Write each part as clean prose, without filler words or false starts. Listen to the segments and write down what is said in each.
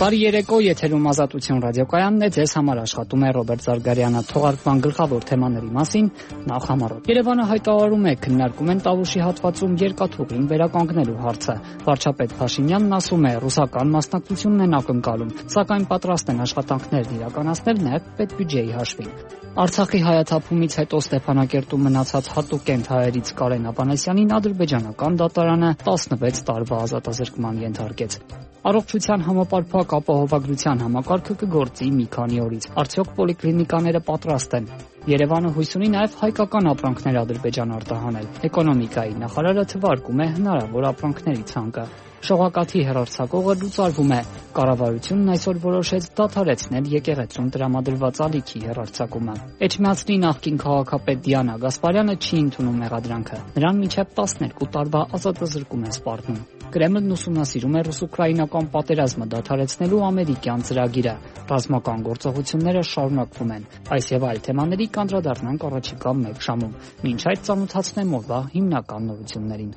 Բարի երեկո, եթերում Ազատություն ռադիոկայանն է, ձեզ համար աշխատում է Ռոբերտ Զարգարյանը։ Թողարկման գլխավոր թեմաների մասին նախ համառոտ։ Երևանը հայտարարում է, քննարկում են Տավուշի հատվածում երկաթուղին վերականգնելու հարցը։ Վարչապետ Փաշինյանն ասում է, ռուսական մասնակցությունն են ակնկալում, սակայն պատրաստ են աշխատանքներն իրականացնել նաև պետբյուջեի հաշվին։ Արցախի հայաթափումից հետո Ստեփանակերտում մնացած հատուկենտ հայերից Կարեն Ավանեսյանին ադրբեջանական դատարանը 16 տարվա ազատազրկման ենթարկեց։ Առողջության համապարփակ ապահովագրության համակարգը կգործի մի քանի օրից։ Արդյոք պոլիկլինիկաները պատրաստ են։ Երևանը հույս ունի նաև հայկական ապրանքներ Ադրբեջան արտահանել։ Էկոնոմիկայի նախարարը թվարկում է հնարավոր ապրանքների ցանկը։ Շողակաթի հեռարձակողը լուծարվում է։ Կառավարությունն այսօր որոշեց դադարեցնել եկեղեցուն տրամադրված ալիքի հեռարձակումը։ Էջմիածնի նախկին քաղաքապետ Դիանա Գասպարյանը չի ընդունում մեղադրանքը։ Նրան մինչև 12 տարվա ազատազրկում է սպառնում։ Կրեմլն ուսումնասիրում է ռուս-ուկրաինական պատերազմը դադարեցնելու ամերիկյան ծրագիրը։ Ռազմական գործողությունները շարունակվում են։ Այս եւ այլ թեմաների կանդրադառնանք առաջիկա մեկ ժամում։ Մինչ այդ ծանոթացնեմ օրվա հիմնական նորություններին։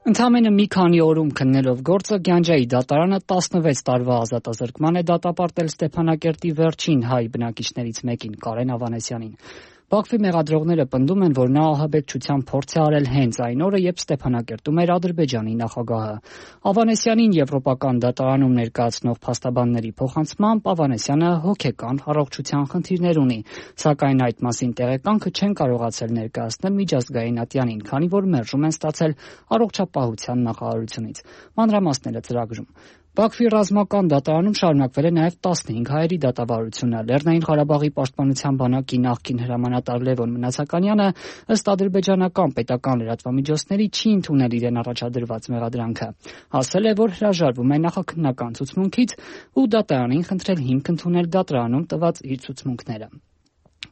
Ընդամենը մի քանի օրում քննելով գործը Գյանջայի դատարանը 16 տարվա ազատազրկման է դատապարտել Ստեփանակերտի վերջին հայ բնակիչներից մեկին Կարեն Ավանեսյանին։ Բաքվի մեղադրողները պնդում են, որ նա ահաբեկչության փորձ է արել հենց այն օրը, երբ Ստեփանակերտում էր Ադրբեջանի նախագահը։ Ավանեսյանին եվրոպական դատարանում ներկայացնող փաստաբանների փոխանցմամբ Ավանեսյանը հոգեկան առողջության խնդիրներ ունի, սակայն այդ մասին տեղեկանքը չեն կարողացել ներկայացնել միջազգային ատյանին, քանի որ մերժում են ստացել առողջապահության նախարարությունից։ Մանրամասները ծրագրում։ Բաքվի ռազմական դատարանում շարունակվել է նաև 15 հայերի դատավարությունը։ Լեռնային Ղարաբաղի պաշտպանության բանակի նախկին հրամանատար Լևոն Մնացականյանը ըստ ադրբեջանական պետական լրատվամիջոցների չի ընդունել իրեն առաջադրված մեղադրանքը։ Ասել է, որ հրաժարվում է նախաքննական ցուցմունքից ու դատարանին խնդրել հիմք ընդունել դատարանում տված իր ցուցմունքները։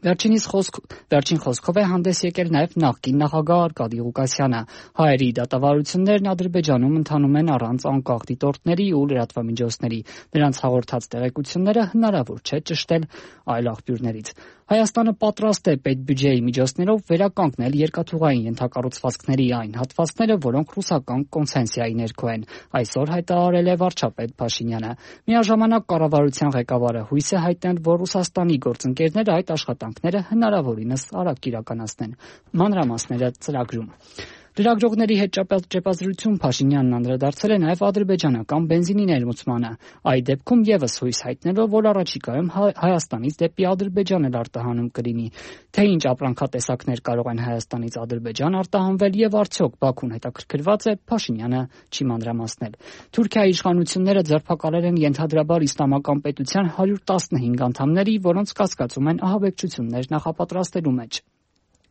Վերջին խոսքով է հանդես եկել նաև նախկին նախագահ Արկադի Ղուկասյանը։ Հայերի դատավարություններն Ադրբեջանում ընթանում են առանց անկախ դիտորդների ու լրատվամիջոցների։ Նրանց հաղորդած տեղեկությունները հնարավոր չէ ճշտել այլ աղբյուրներից։ Հայաստանը պատրաստ է պետբյուջեի միջոցներով վերականգնել երկաթուղային ենթակառուցվածքների այն հատվածները, որոնք ռուսական կոնցեսիայի ներքո են։ Այսօր հայտարարել է վարչապետ Փաշինյանը։ Միաժամանակ կառավարության ղեկավարը հույս է հայտնել, որ Ռուսաստանի գործընկերները այդ աշխատանքները հնարավորինս արագ իրականացնեն։ Մանրամասները ծրագրում։ Լրագրողների հետ ճեպազրույցում Փաշինյանն անդրադարձել է նաև ադրբեջանական բենզինի ներմուծմանը։ Այդ դեպքում եւս հույս հայտնելով, որ առաջիկայում Հայաստանից դեպի Ադրբեջան էլ արտահանում կլինի։ Թե ինչ ապրանքատեսակներ կարող են Հայաստանից Ադրբեջան արտահանվել եւ արդյոք Բաքուն հետաքրքրված է, Փաշինյանը չի մանրամասնել։ Թուրքիայի իշխանությունները ձերբակալել են ենթադրաբար իսլամական պետության 115 անդամների, որոնց կասկածում են ահաբեկչություններ նախապատրաստելու մեջ։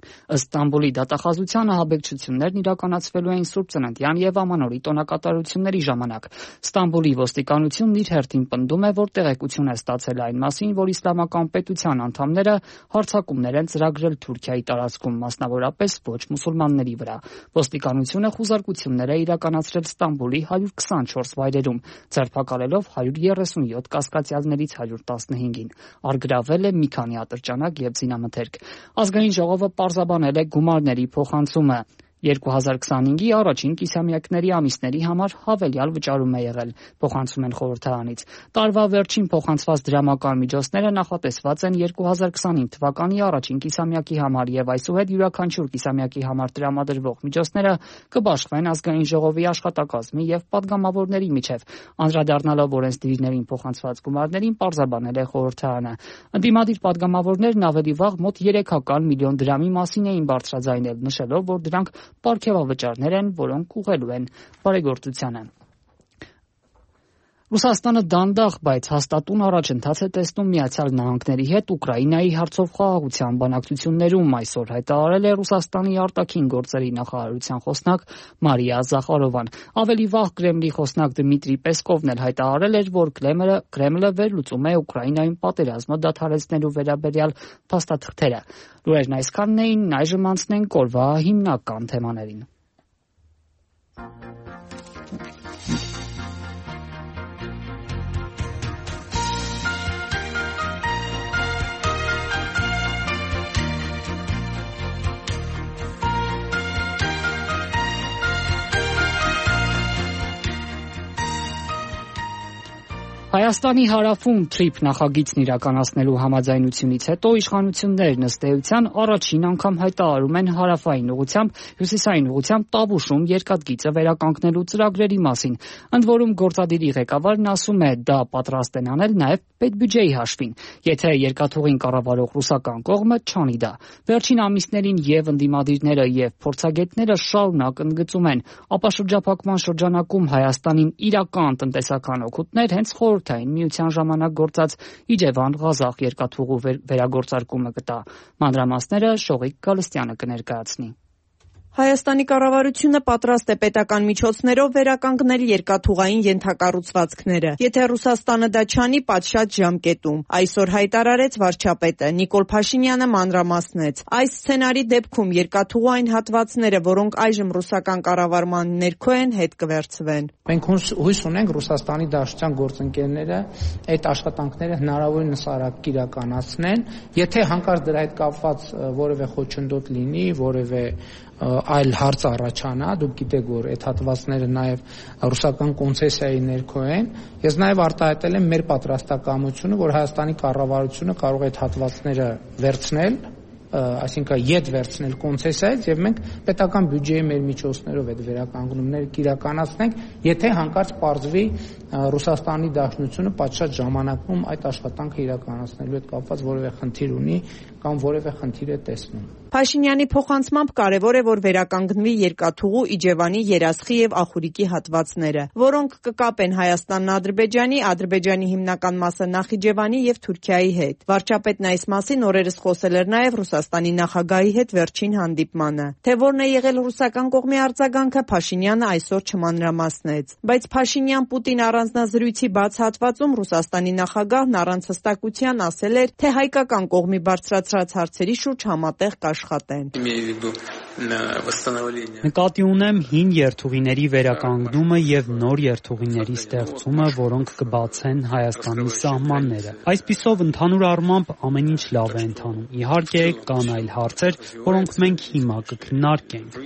Ըստ Ստամբուլի դատախազության ահաբեկչություններն իրականացվելու էին Սուրբ Ծննդյան եւ Ամանորի տոնակատարությունների ժամանակ։ Ստամբուլի ոստիկանությունն իր հերթին պնդում է, որ տեղեկություն է ստացել այն մասին, որ իսլամական պետության անդամները հարձակումներ են ծրագրել Թուրքիայի տարածքում, մասնավորապես ոչ մուսուլմանների վրա։ Ոստիկանությունը խուզարկություններ է իրականացրել Ստամբուլի 124 վայրերում, ձերբակալելով 137 կասկածյալներից 115-ին։ Արգրավել է մի քանի ատրճանակ եւ զինամթերք։ Ազգային ժողովը պարզաբանել է գումարների փոխանցումը։ 2025-ի առաջին կիսամյակների ամիսների համար հավելյալ վճարում է եղել, փոխանցում են խորհրդարանից։ Տարվա վերջին փոխանցված դրամական միջոցները նախատեսված են 2025 թվականի առաջին կիսամյակի համար եւ այսուհետ յուրաքանչյուր կիսամյակի համար տրամադրվող միջոցները կբաշխվեն ազգային ժողովի աշխատակազմի եւ падգամավորների միջեւ։ Անդրադառնալով օրենսդիրներին փոխանցված գումարներին պարզաբանել է խորհրդարանը։ Ընդդիմադիր падգամավորներն ավելի վաղ մոտ 300 միլիոն դրամի մասին էին բարձրաձայնել, նշելով, որ դրանք պարգևավճարներ են, որոնք ուղղելու են բարեգործությանը։ Ռուսաստանը դանդաղ, բայց հաստատուն առաջընթաց է տեսնում Միացյալ Նահանգների հետ Ուկրաինայի հարցով խաղաղության բանակցություններում, այսօր հայտարարել է Ռուսաստանի արտաքին գործերի նախարարության խոսնակ Մարիա Զախարովան։ Ավելի վաղ Կրեմլի խոսնակ Դմիտրի Պեսկովն էլ հայտարարել էր, որ Կրեմլը վերլուծում է Ուկրաինայում պատերազմը դադարեցնելու վերաբերյալ փաստաթղթերը։ Լուրերն այսքանն էին, այժմ անցնենք օրվա հիմնական թեմաներին։ Հայաստանի հարավում TRIP նախագիծն իրականացնելու համաձայնությունից հետո իշխանություններն ըստ էության առաջին անգամ հայտարարում են հարավային ուղղությամբ, հյուսիսային ուղղությամբ Տավուշում երկաթգիծը վերականգնելու ծրագրերի մասին, ընդ որում գործադիրի ղեկավարն ասում է, դա պատրաստ են անել նաև պետբյուջեի հաշվին, եթե երկաթուղին կառավարող ռուսական կողմը չանի դա։ Վերջին ամիսներին եւ ընդդիմադիրները եւ փորձագետները շարունակ ընդգծում են, ապաշրջափակման շրջանակում Հայաստանին իրական տնտեսական օգուտներ հենց Խորհրդային Միության ժամանակ գործած Իջևան-Ղազախ երկաթուղու վերագործարկումը կտա։ Մանրամասները Շողիկ Գալստյանը կներկայացնի։ Հայաստանի կառավարությունը պատրաստ է պետական միջոցներով վերականգնել երկաթուղային ենթակառուցվածքները, եթե Ռուսաստանը դա չանի պատշաճ ժամկետում, այսօր հայտարարեց վարչապետը։ Նիկոլ Փաշինյանը մանրամասնեց. այս սցենարի դեպքում երկաթուղու այն հատվածները, որոնք այժմ ռուսական կառավարման ներքո են, հետ կվերցվեն։ Մենք հույս ունենք Ռուսաստանի Դաշնության գործընկերները այդ աշխատանքները հնարավորինս արագ իրականացնեն, եթե հանկարծ դրա հետ կապված որևէ խոչընդոտ լինի, որևէ այլ հարց առաջանա, դուք գիտեք, որ այդ հատվածները նաև ռուսական կոնցեսիայի ներքո են, ես նաև արտահայտել եմ մեր պատրաստակամությունը, որ Հայաստանի կառավարությունը կարող է այդ հատվածները վերցնել, այսինքն ետ վերցնել կոնցեսիայից եւ մենք պետական բյուջեի մեր միջոցներով այդ վերականգնումները կիրականացնենք, եթե հանկարծ պարզվի Ռուսաստանի Դաշնությունը պատշաճ ժամանակում այդ աշխատանքը իրականացնելու հետ կապված որևէ խնդիր ունի կամ որևէ խնդիր է տեսնում։ Փաշինյանի փոխանցմամբ կարևոր է, որ վերականգնվի երկաթուղու Իջևանի, Երասխի եւ Ախուրիկի հատվածները, որոնք կկապեն Հայաստանն Ադրբեջանի, Ադրբեջանի հիմնական մասը Նախիջևանի եւ Թուրքիայի հետ։ Վարչապետն այս մասին օրերս խոսել էր նաեւ Ռուսաստանի նախագահի հետ վերջին հանդիպմանը։ Թե որն է եղել ռուսական կողմի արձագանքը, Փաշինյանը այսօր չմանրամասնեց։ Բայց Փաշինյան-Պուտին առանձնազրույցի բաց հատվածում Ռուսաստանի նախագահն առանց հստակության ասել էր, թե հայկական կողմի բարձրացրած հարցերի շուրջ համատեղ կաշխատեն։ Նկատի ունեմ հին երթուղիների վերականգնումը եւ նոր երթուղիների ստեղծումը, որոնք կբացեն Հայաստանի սահմանները։ Այսպիսով ընդհանուր առմամբ ամեն ինչ լավ է ընթանում։ Իհարկե կան այլ հարցեր, որոնք մենք հիմա կքննարկենք։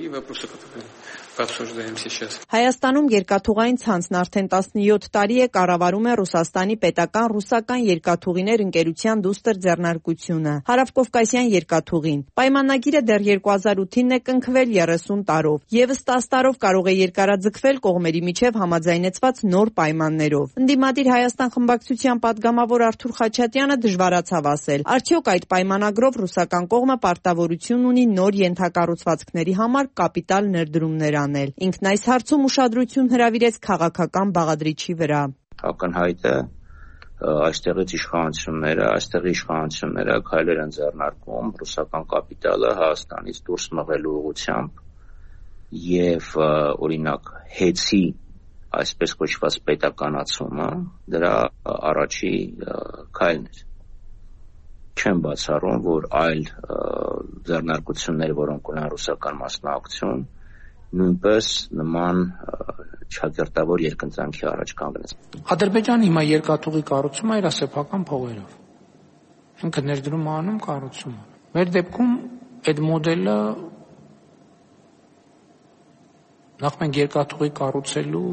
Հայաստանում երկաթուղային ցանցն արդեն 17 տարի է կառավարում է Ռուսաստանի պետական ռուսական երկաթուղիներ ընկերության դուստր ձեռնարկությունը, Հարավկովկասյան երկաթուղին։ Պայմանագիրը դեռ 2008-ին է կնքվել 30 տարով, եւս 10 տարով կարող է երկարաձգվել կողմերի միջև համաձայնեցված նոր պայմաններով։ Ընդդիմադիր Հայաստան խմբակցության падգամավոր Արթուր Խաչատյանը դժվարացավ ասել, արդյոք այդ պայմանագրով ռուսական կողմը պարտավորություն ունի նոր ենթակառուցվածքների համար կապիտալ ներդրումներ անել։ Ինքն այս հարցում ուշադրություն հրավիրեց քաղաքական բաղադրիչի վրա։ Ակնհայտ է այստեղի իշխանությունները քայլեր են ձեռնարկում ռուսական կապիտալը Հայաստանից դուրս մղելու ուղղությամբ եւ օրինակ հեծի այսպես կոչված պետականացումը դրա առաջի քայլն էր։ Չեմ բացառում, որ այլ ձեռնարկություններ, որոնք ունեն ռուսական մասնակցություն, նույնպես նման չակերտավոր երկընտրանքի առաջ կանգնեց։ Ադրբեջանը հիմա երկաթուղի կառուցում է իր սեփական փողերով։ Ինքը ներդրում անում, կառուցում։ Մեր դեպքում այդ մոդելը նախ մենք երկաթուղի կառուցելու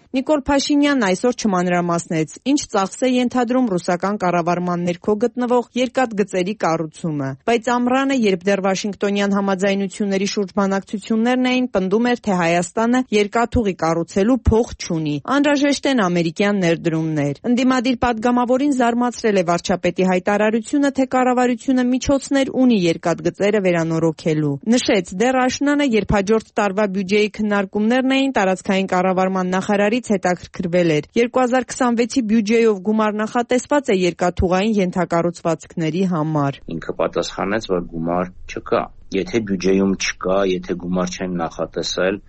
Նիկոլ Փաշինյանն այսօր չմանրամասնեց, ինչ ծախս է ենթադրում ռուսական կառավարման ներքո գտնվող երկաթգծերի կառուցումը, բայց ամռանը, երբ դեռ Վաշինգտոնյան համաձայնությունների շուրջ բանակցություններն էին, պնդում էր, թե Հայաստանը երկաթուղի կառուցելու փող չունի, անհրաժեշտ են ամերիկյան ներդրումներ։ Ընդդիմադիր падգամավորին զարմացրել է վարչապետի հայտարարությունը, թե կառավարությունը միջոցներ ունի երկաթգծերը վերանորոգելու։ Նշեց, դեռ աշնանը, երբ հաջորդ տարվա բյուջեի քննարկումներն էին, տարածքային կառավարման նախարարի հետաքրքրվել էր 2026-ի բյուջեով գումար նախատեսված է երկաթուղային ենթակառուցվածքների համար։ Ինքը պատասխանեց, որ գումար չկա։ Եթե բյուջեում չկա, եթե գումար չեն նախատեսել,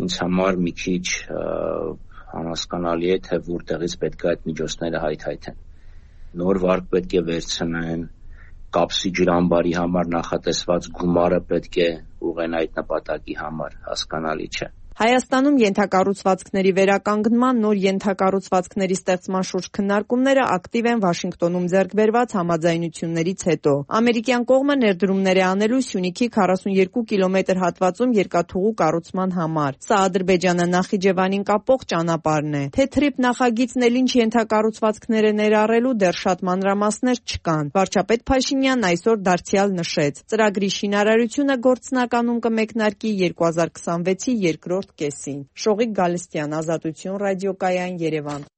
ինձ համար մի քիչ անհասկանալի է, թե որտեղից պետք է այդ միջոցները հայթայթեն։ Նոր վարկ պետք է վերցնեն, կապսի ջրամբարի համար նախատեսված գումարը պետք է ուղղեն այդ նպատակի համար, հասկանալի չէ։ Հայաստանում ենթակառուցվածքների վերականգնման, նոր ենթակառուցվածքների ստեղծման շուրջ քննարկումները ակտիվ են Վաշինգտոնում ձեռք բերված համաձայնություններից հետո։ Ամերիկյան կողմը ներդրումներ է անելու Սյունիքի 42 կիլոմետր հատվածում երկաթուղու կառուցման համար։ Սա Ադրբեջանը Նախիջևանին կապող ճանապարհն է։ Թեթրիփ նախագիծն էլ ինչ ենթակառուցվածքներ է ներառելու դեռ շատ մանրամասներ չկան։ Վարչապետ Փաշինյանն այսօր դարձյալ նշեց. ծրագրի շինարարությունը գործնականում կմեկնարկի 2026-ի երկրորդ կեսին։ Շողիկ Գալստյան, Ազատություն ռադիոկայան, Երևան։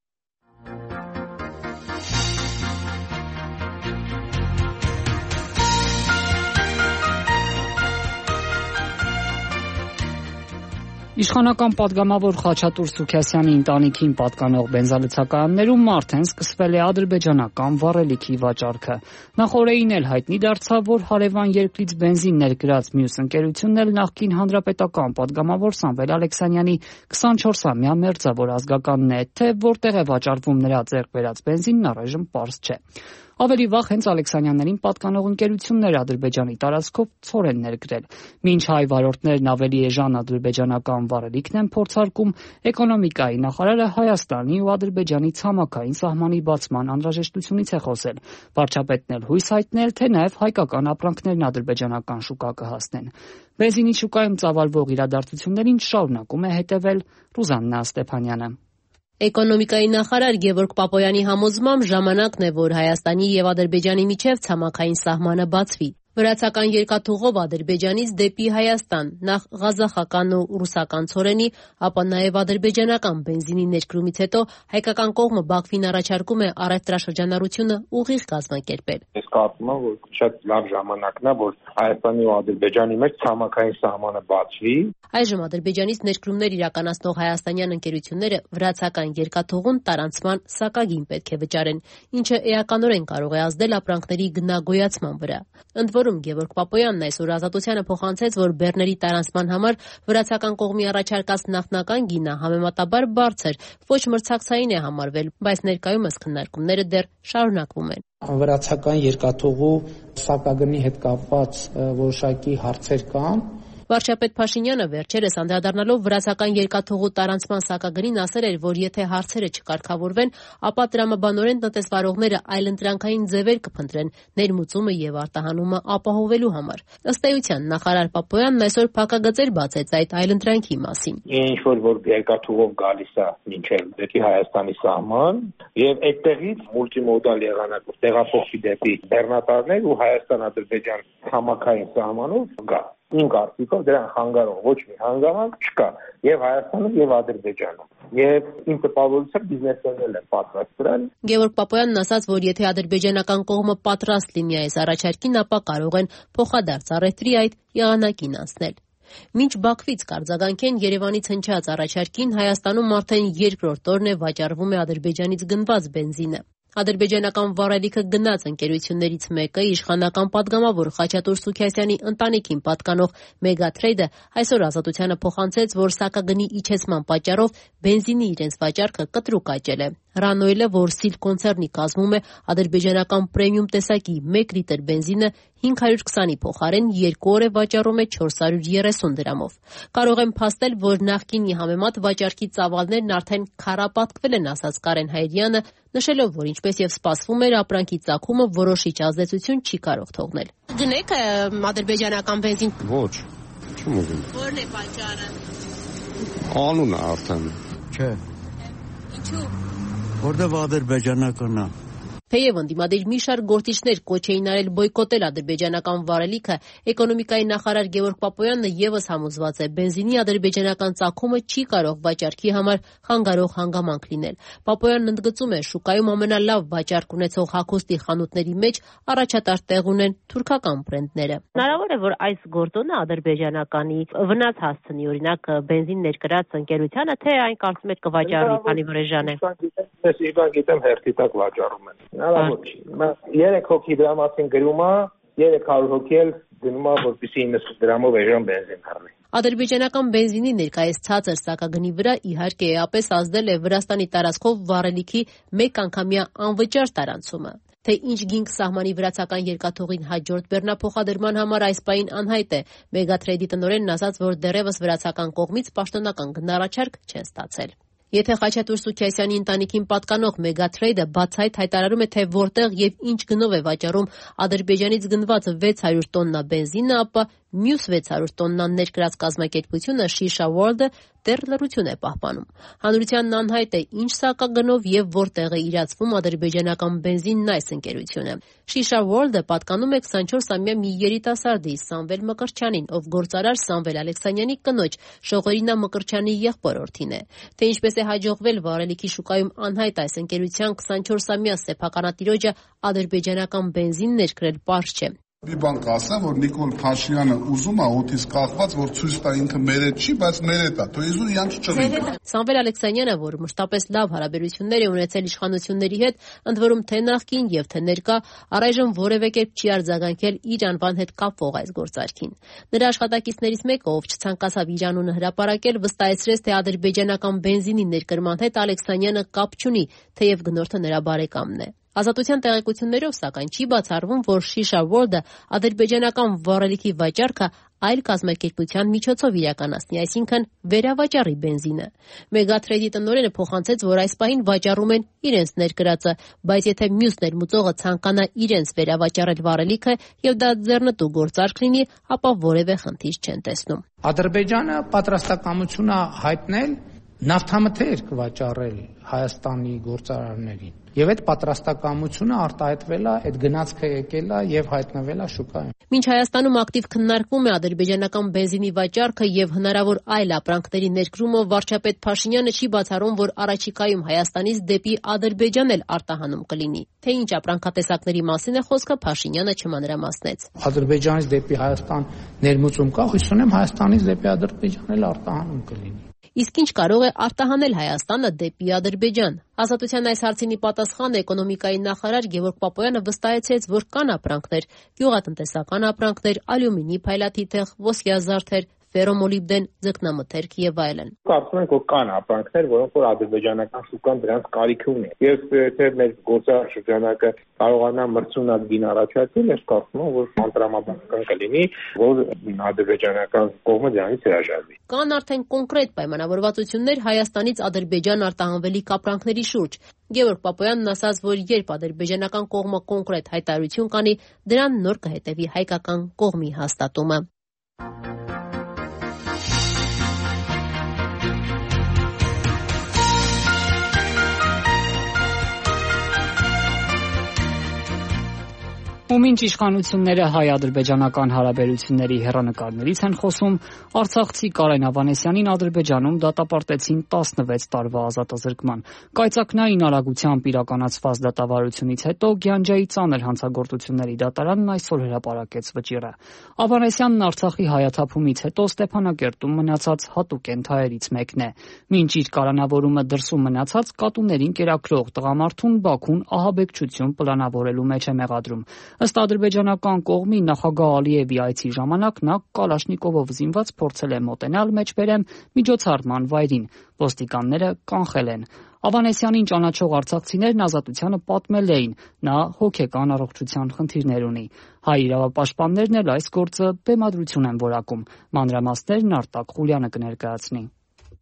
Իշխանական պատգամավոր Խաչատուր Սուքիասյանի ընտանիքին պատկանող բենզալցակայաններում արդեն սկսվել է ադրբեջանական վառելիքի վաճառքը։ Նախ օրերին էլ հայտնի դարձավ, որ հարևան երկրից բենզին ներկրած մյուս ընկերությունն էլ նախկին հանրապետական պատգամավոր Սամվել Ալեքսանյանի 24-ամյա մերձավոր ազգականն է, թե որտեղ է վաճառվում նրա ձեռք բերած բենզինն առայժմ պարզ չէ։ Ավելի վաղ հենց Ալեքսանյաններին պատկանող ընկերություններ Ադրբեջանի տարածքով ցոր են ներկրել։ Մինչ հայ վարորդներն ավելի էժան ադրբեջանական վառելիքն են փորձարկում, էկոնոմիկայի նախարարը Հայաստանի ու Ադրբեջանի ցամաքային սահմանի բացման անհրաժեշտությունից է խոսել։ Վարչապետն էլ հույս հայտնել, թե նաև հայկական ապրանքներն ադրբեջանական շուկա կհասնեն։ Բենզինի շուկայում ծավալվող իրադարձություններին շարունակում է հետևել Ռուզաննա Ստեփանյանը։ Էկոնոմիկայի նախարար Գևորգ Պապոյանի համոզմամբ ժամանակն է, որ Հայաստանի եւ Ադրբեջանի միջև ցամաքային սահմանը բացվի։ Վրացական երկաթուղով Ադրբեջանից դեպի Հայաստան նախ ղազախական ու ռուսական ցորենի, ապա նաև ադրբեջանական բենզինի ներկրումից հետո հայկական կողմը Բաքվին առաջարկում է առևտրաշրջանառությունը ուղիղ կազմակերպել։ Ես կարծում եմ, որ շատ լավ ժամանակն է, որ Հայաստանի ու Ադրբեջանի մեջ ցամաքային սահմանը բացվի։ Այժմ Ադրբեջանից ներկրումներ իրականացնող հայաստանյան ընկերությունները վրացական երկաթուղուն տարանցման սակագին պետք է վճարեն, ինչը էականորեն կարող է ազդել ապրանքների գնագոյացման վրա։ Ընդ որում Գևորգ Պապոյանն այսօր Ազատությանը փոխանցեց, որ բեռների տարանցման համար վրացական կողմի առաջարկած նախնական գինը համեմատաբար բարձր, ոչ մրցակցային է համարվել, բայց ներկայումս քննարկումները դեռ շարունակվում են։ Վրացական երկաթուղու սակագնի հետ կապված որոշակի հարցեր կան։ Վարչապետ Փաշինյանը վերջերս անդրադառնալով վրացական երկաթուղու տարանցման սակագնին ասել էր, որ եթե հարցերը չկարգավորվեն, ապա տրամաբանորեն տնտեսվարողները այլընտրանքային ձևեր կփնտրեն ներմուծումը եւ արտահանումը ապահովելու համար։ Ըստ էության նախարար Պապոյանն այսօր փակագծեր բացեց այդ այլընտրանքի մասին։ Ինչ որ երկաթուղով գալիս է մինչև դեպի Հայաստանի սահման եւ այդտեղից մուլտիմոդալ եղանակով տեղափոխվի դեպի Բեռնատարներ ու Հայաստան-Ադրբեջան ցամաքային սահմանով գա։ Իմ կարծիքով դրան խանգարող ոչ մի հանգամանք չկա եւ Հայաստանում եւ Ադրբեջանում։ Եվ իմ տպավորությամբ բիզնեսներն են պատրաստ դրան։ Գևորգ Պապոյանն ասաց, որ եթե ադրբեջանական կողմը պատրաստ լինի այս առաջարկին, ապա կարող են փոխադարձ առևտրի այդ եղանակին անցնել։ Մինչ Բաքվից կարձագանքեն Երևանից հնչած առաջարկին, Հայաստանում արդեն երկրորդ օրն է վաճառվում է Ադրբեջանից գնված բենզինը։ Ադրբեջանական վառելիքը գնաց ընկերություններից մեկը իշխանական պատգամավոր Խաչատուր Սուքիասյանի ընտանիքին պատկանող Մեգատրեյդը այսօր Ազատությանը փոխանցեց, որ սակագնի իջեցման պատճառով բենզինի իրենց վաճառքը կտրուկ աճել է։ Ռանոյլը, որ Սիլ կոնցեռնի կազմում է, ադրբեջանական պրեմիում տեսակի 1 լիտր բենզինը 520-ի փոխարեն 2 օր է վաճառում է 430 դրամով։ Կարող եմ փաստել, որ նախկինի համեմատ վաճառքի ծավալներն արդեն քառապատկվել են, ասաց Կարեն Հայրյանը, նշելով, որ ինչպես եւ սպասվում էր, ապրանքի ծագումը որոշիչ ազդեցություն չի կարող թողնել։ Գնեք ադրբեջանական բենզին։ Ոչ, չեմ ուզում։ Որն է պատճառը։ Անունը արդեն։ Չէ։ Ինչու։ Որտեղ ադրբեջանականն է։ Թեև ընդդիմադիր մի շարք գործիչներ կոչ էին արել բոյկոտել ադրբեջանական վառելիքը, էկոնոմիկայի նախարար Գևորգ Պապոյանը եւս համոզված է, բենզինի ադրբեջանական ծագումը չի կարող վաճառքի համար խանգարող հանգամանք լինել։ Պապոյանն ընդգծում է, շուկայում ամենալավ վաճառք ունեցող հագուստի խանութների մեջ առաջատար տեղ ունեն թուրքական բրենդները։ Հնարավոր է, որ այս գործոնը ադրբեջանականի վնաս հասցնի, օրինակ բենզին ներկրած ընկերությանը, թե այն կարծում եք կվաճառի, քանի որ էժան է։ Ես իրական գիտեմ հերթի տակ վաճառում են։ Հնարավոր չի։ 3 հոգի դրա մասին գրում է, 300 հոգի էլ գնում է, որպեսզի 90 դրամով էժան բենզին խառնի։ Ադրբեջանական բենզինի ներկայիս ցածր սակագնի վրա իհարկե էապես ազդել է Վրաստանի տարածքով վառելիքի մեկ անգամյա անվճար տարանցումը։ Թե ինչ գինք սահմանի վրացական երկաթուղին հաջորդ բեռնափոխադրման համար այս պահին անհայտ է։ Մեգաթրեյդի տնօրենն ասաց, որ դեռևս վրացական կողմից պաշտոնական գնահառաչարկ չեն ստացել։ Եթե Խաչատուր Սուքիասյանի ընտանիքին պատկանող Մեգաթրեյդը բացահայտ հայտարարում է, թե որտեղ եւ ինչ գնով է վաճառում Ադրբեջանից գնված 600 տոննա բենզինը, ապա մյուս 600 տոննան ներկրած կազմակերպությունը Shisha World-ը դեռ լռություն է պահպանում։ Հանրությանն անհայտ է, ինչ սակագնով եւ որտեղ է իրացվում ադրբեջանական բենզինն այս ընկերությունը։ Shisha World-ը պատկանում է 24-ամյա մի երիտասարդի Սամվել Մկրտչյանին, ով գործարար Սամվել Ալեքսանյանի կնոջ Շողորինա Մկրտչյանի եղբորորդին է։ Թե ինչպես է հաջողվել վառելիքի շուկայում անհայտ այս ընկերության 24-ամյա սեփականատիրոջը ադրբեջանական բենզին ներկրել պարզ չէ։ Մի բան կասեմ, որ Նիկոլ Փաշինյանը ուզում է օդից կախված, որ ցույց տա ինքը մերետ չի, բայց մերետ է, թող իզուր իրանք չռի։ Սամվել Ալեքսանյանը, որ մշտապես լավ հարաբերություններ է ունեցել իշխանությունների հետ, ընդ որում թե նախկին եւ թե ներկա, առայժմ որևէ կերպ չի արձագանքել իր անվան հետ կապվող այս գործարքին։ Նրա աշխատակիցներից մեկը, ով չցանկացավ իր անունը հրապարակել, վստահեցրեց, թե ադրբեջանական բենզինի ներկրման հետ Ալեքսանյանը կապ չունի, թեև գնորդը նրա բարեկամն է։ Ազատության տեղեկություններով, սակայն, չի բացառվում, որ Shisha World-ը ադրբեջանական վառելիքի վաճառքը այլ կազմակերպության միջոցով իրականացնի, այսինքն վերավաճառի բենզինը։ Մեգաթրեյդի տնօրենը փոխանցեց, որ այս պահին վաճառում են իրենց ներկրածը, բայց եթե մյուս ներմուծողը ցանկանա իրենց վերավաճառել վառելիքը եւ դա ձեռնտու գործարք լինի, ապա որևէ խնդիր չեն տեսնում։ Ադրբեջանը պատրաստակամություն է հայտնել նավթամթերք վաճառել Հայաստանի գործարարներին։ Եվ այդ պատրաստակամությունը արտահայտվել է, այդ գնացքը եկել է եւ հայտնվել է շուկայում։ Մինչ Հայաստանում ակտիվ քննարկվում է ադրբեջանական բենզինի վաճառքը եւ հնարավոր այլ ապրանքների ներկրումը, վարչապետ Փաշինյանը չի բացառում, որ առաջիկայում Հայաստանից դեպի Ադրբեջան էլ արտահանում կլինի։ Թե ինչ ապրանքատեսակների մասին է խոսքը, Փաշինյանը չմանրամասնեց։ Ադրբեջանից դեպի Հայաստան ներմուծում կա, հույս ունեմ Հայաստանից դեպի Ադրբեջան էլ արտահանում կլինի։ Իսկ ինչ կարող է արտահանել Հայաստանը դեպի Ադրբեջան։ Ազատության այս հարցին պատասխան էկոնոմիկայի նախարար Գևորգ Պապոյանը վստահեցրեց, որ կան ապրանքներ՝ գյուղատնտեսական ապրանքներ, ալյումինի փայլատիթեղ, ոսկեազարդեր, ֆերոմոլիբդեն, ձկնամթերք եւ այլն։ Կարծում ենք, որ կան ապրանքներ, որոնք որ ադրբեջանական շուկան դրանց կարիք ունի։ Եվ եթե մեր գործարար շրջանակը կարողանա մրցունակ գին առաջարկել, ես կարծում եմ, որ անտրամաբանական կլինի, որ ադրբեջանական կողմը դրանից հրաժարվի։ Կան արդեն կոնկրետ պայմանավորվածություններ Հայաստանից Ադրբեջան արտահանվելիք ապրանքների շուրջ։ Գևորգ Պապոյանն ասաց, որ երբ ադրբեջանական կողմը կոնկրետ հայտարարություն կանի, դրան նոր կհետևի հայկական կողմի հաստատումը։ Ու մինչ իշխանությունները հայ-ադրբեջանական հարաբերությունների հեռանկարներից են խոսում, արցախցի Կարեն Ավանեսյանին Ադրբեջանում դատապարտեցին 16 տարվա ազատազրկման։ Կայծակնային արագությամբ իրականացված դատավարությունից հետո Գյանջայի ծանր հանցագործությունների դատարանն այսօր հրապարակեց վճիռը։ Ավանեսյանն Արցախի հայաթափումից հետո Ստեփանակերտում մնացած հատուկ ենթահայերից մեկն է։ Մինչ իր կալանավորումը դրսում մնացած կատուներին կերակրող տղամարդուն Բաքուն ահաբեկչություն պլանավորելու մեջ է մեղադրում։ Ըստ ադրբեջանական կողմի նախագահ Ալիևի այցի ժամանակ նա կալաշնիկովով զինված փորձել է մոտենալ մեջբերեմ միջոցառման վայրին։ Ոստիկանները կանխել են։ Ավանեսյանին ճանաչող արցախցիներն ազատությանը պատմել էին, նա հոգեկան առողջության խնդիրներ ունի։ Հայ իրավապաշտպաններն էլ այս գործը բեմադրություն են որակում։ Մանրամասներն Արտակ Խուլյանը կներկայացնի։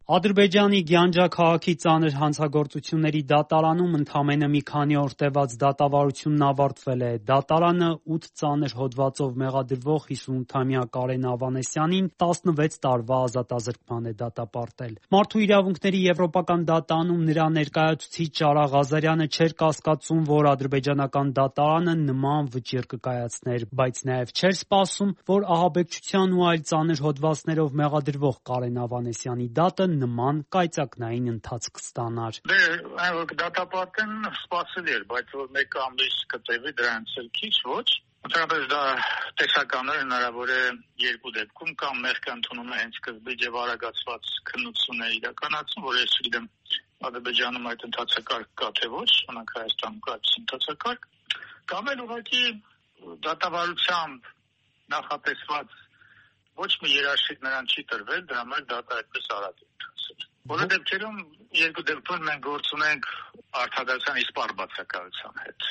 Ադրբեջանի Գյանջա քաղաքի ծանր հանցագործությունների դատարանում ընդամենը մի քանի օր տևած դատավարությունն ավարտվել է։ Դատարանը 8 ծանր հոդվածով մեղադրվող 58-ամյա Կարեն Ավանեսյանին 16 տարվա ազատազրկման է դատապարտել։ Մարդու իրավունքների եվրոպական դատարանում նրա ներկայացուցիչ Ճարա Ղազարյանը չէր կասկածում, որ ադրբեջանական դատարանը նման վճիռ կկայացներ, բայց նաև չէր սպասում, որ ահաբեկչության ու այլ ծանր հոդվածներով մեղադրվող Կարեն Ավանեսյանի դատը նման կայծակնային ընթացք ստանար։ Այն որ դատապարտեն սպասելի էր, բայց որ մեկ ամիս կտևի դրանից էլ քիչ ոչ։ Ընդհանրապես դա տեսականորեն հնարավոր է երկու դեպքում կամ մեղք ընդունում է հենց սկզբից եւ արագացված քննություն է իրականացում, որ ես գիտեմ Ադրբեջանում այդ ընթացակարգ կա թե ոչ, օրինակ Հայաստանում կա այս ընթացակարգ, կամ էլ ուղղակի դատավարությամբ նախատեսված ոչ մի երաշխիք նրան չի տրվել, դրա համար դատը այդպես արագ է ընթացել։ Բոլոր դեպքերում երկու դեպքում մենք գործ ունենք արդարացան իսպառ բացակայության հետ։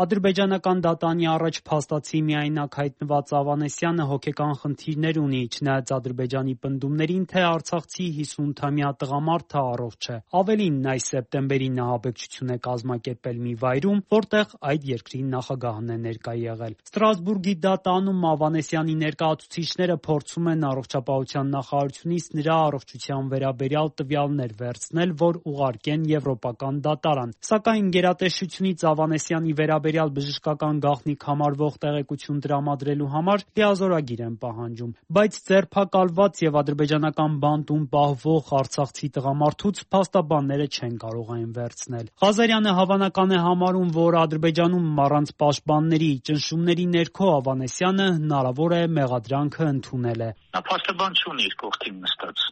Ադրբեջանական դատանի առաջ փաստացի միայնակ հայտնված Ավանեսյանը հոգեկան խնդիրներ ունի, չնայած Ադրբեջանի պնդումներին, թե արցախցի 50-թամյա տղամարդը առողջ է։ Ավելին, այս սեպտեմբերին նա աբեկչություն է կազմակերպել մի վայրում, որտեղ այդ երկրի նախագահն է ներկա եղել։ Ստրասբուրգի դատանում Ավանեսյանի ներկայացուցիչները փորձում են առողջապահության նախարարությունից նրա առողջության վերաբերյալ տվյալներ վերցնել, որ ուղարկեն Եվրոպական դատարան։ Սակայն գերատեսչությունից Ավանեսյանի վերաբերյալ բժշկական գաղտնիք համարվող տեղեկություն տրամադրելու համար լիազորագիր են պահանջում, բայց ձերբակալված եւ ադրբեջանական բանտում պահվող արցախցի տղամարդուց փաստաբանները չեն կարող այն վերցնել։ Ղազարյանը հավանական է համարում, որ Ադրբեջանում առանց պաշտպանների ճնշումների ներքո Ավանեսյանը հնարավոր է մեղադրանքը ընդունել է։ Նա փաստաբան չունի իր կողքին նստած։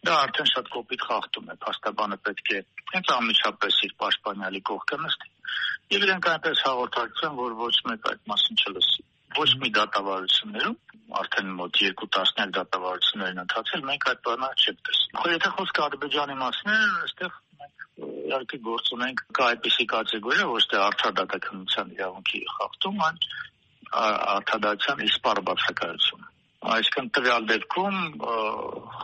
Դա արդեն շատ կոպիտ խախտում է։ Փաստաբանը պետք է հենց անմիջապես իր պաշտպանյալի կողքը նստի եւ իրենք այնպես հաղորդակցեն, որ ոչ մեկ այդ մասին չլսի։ Ոչ մի դատավարություններում, արդեն մոտ 2 տասնյակ դատավարություններ են ընթացել, մենք այդ բանը չենք տեսնում։ Եթե խոսքը Ադրբեջանի մասին է, այստեղ մենք իհարկե գործ ունենք կա այդպիսի կատեգորիա, ոչ թե արդարադատականության իրավունքի խախտում, այլ արդարադատության իսպառ բացակայություն։ Այսինքն տվյալ դեպքում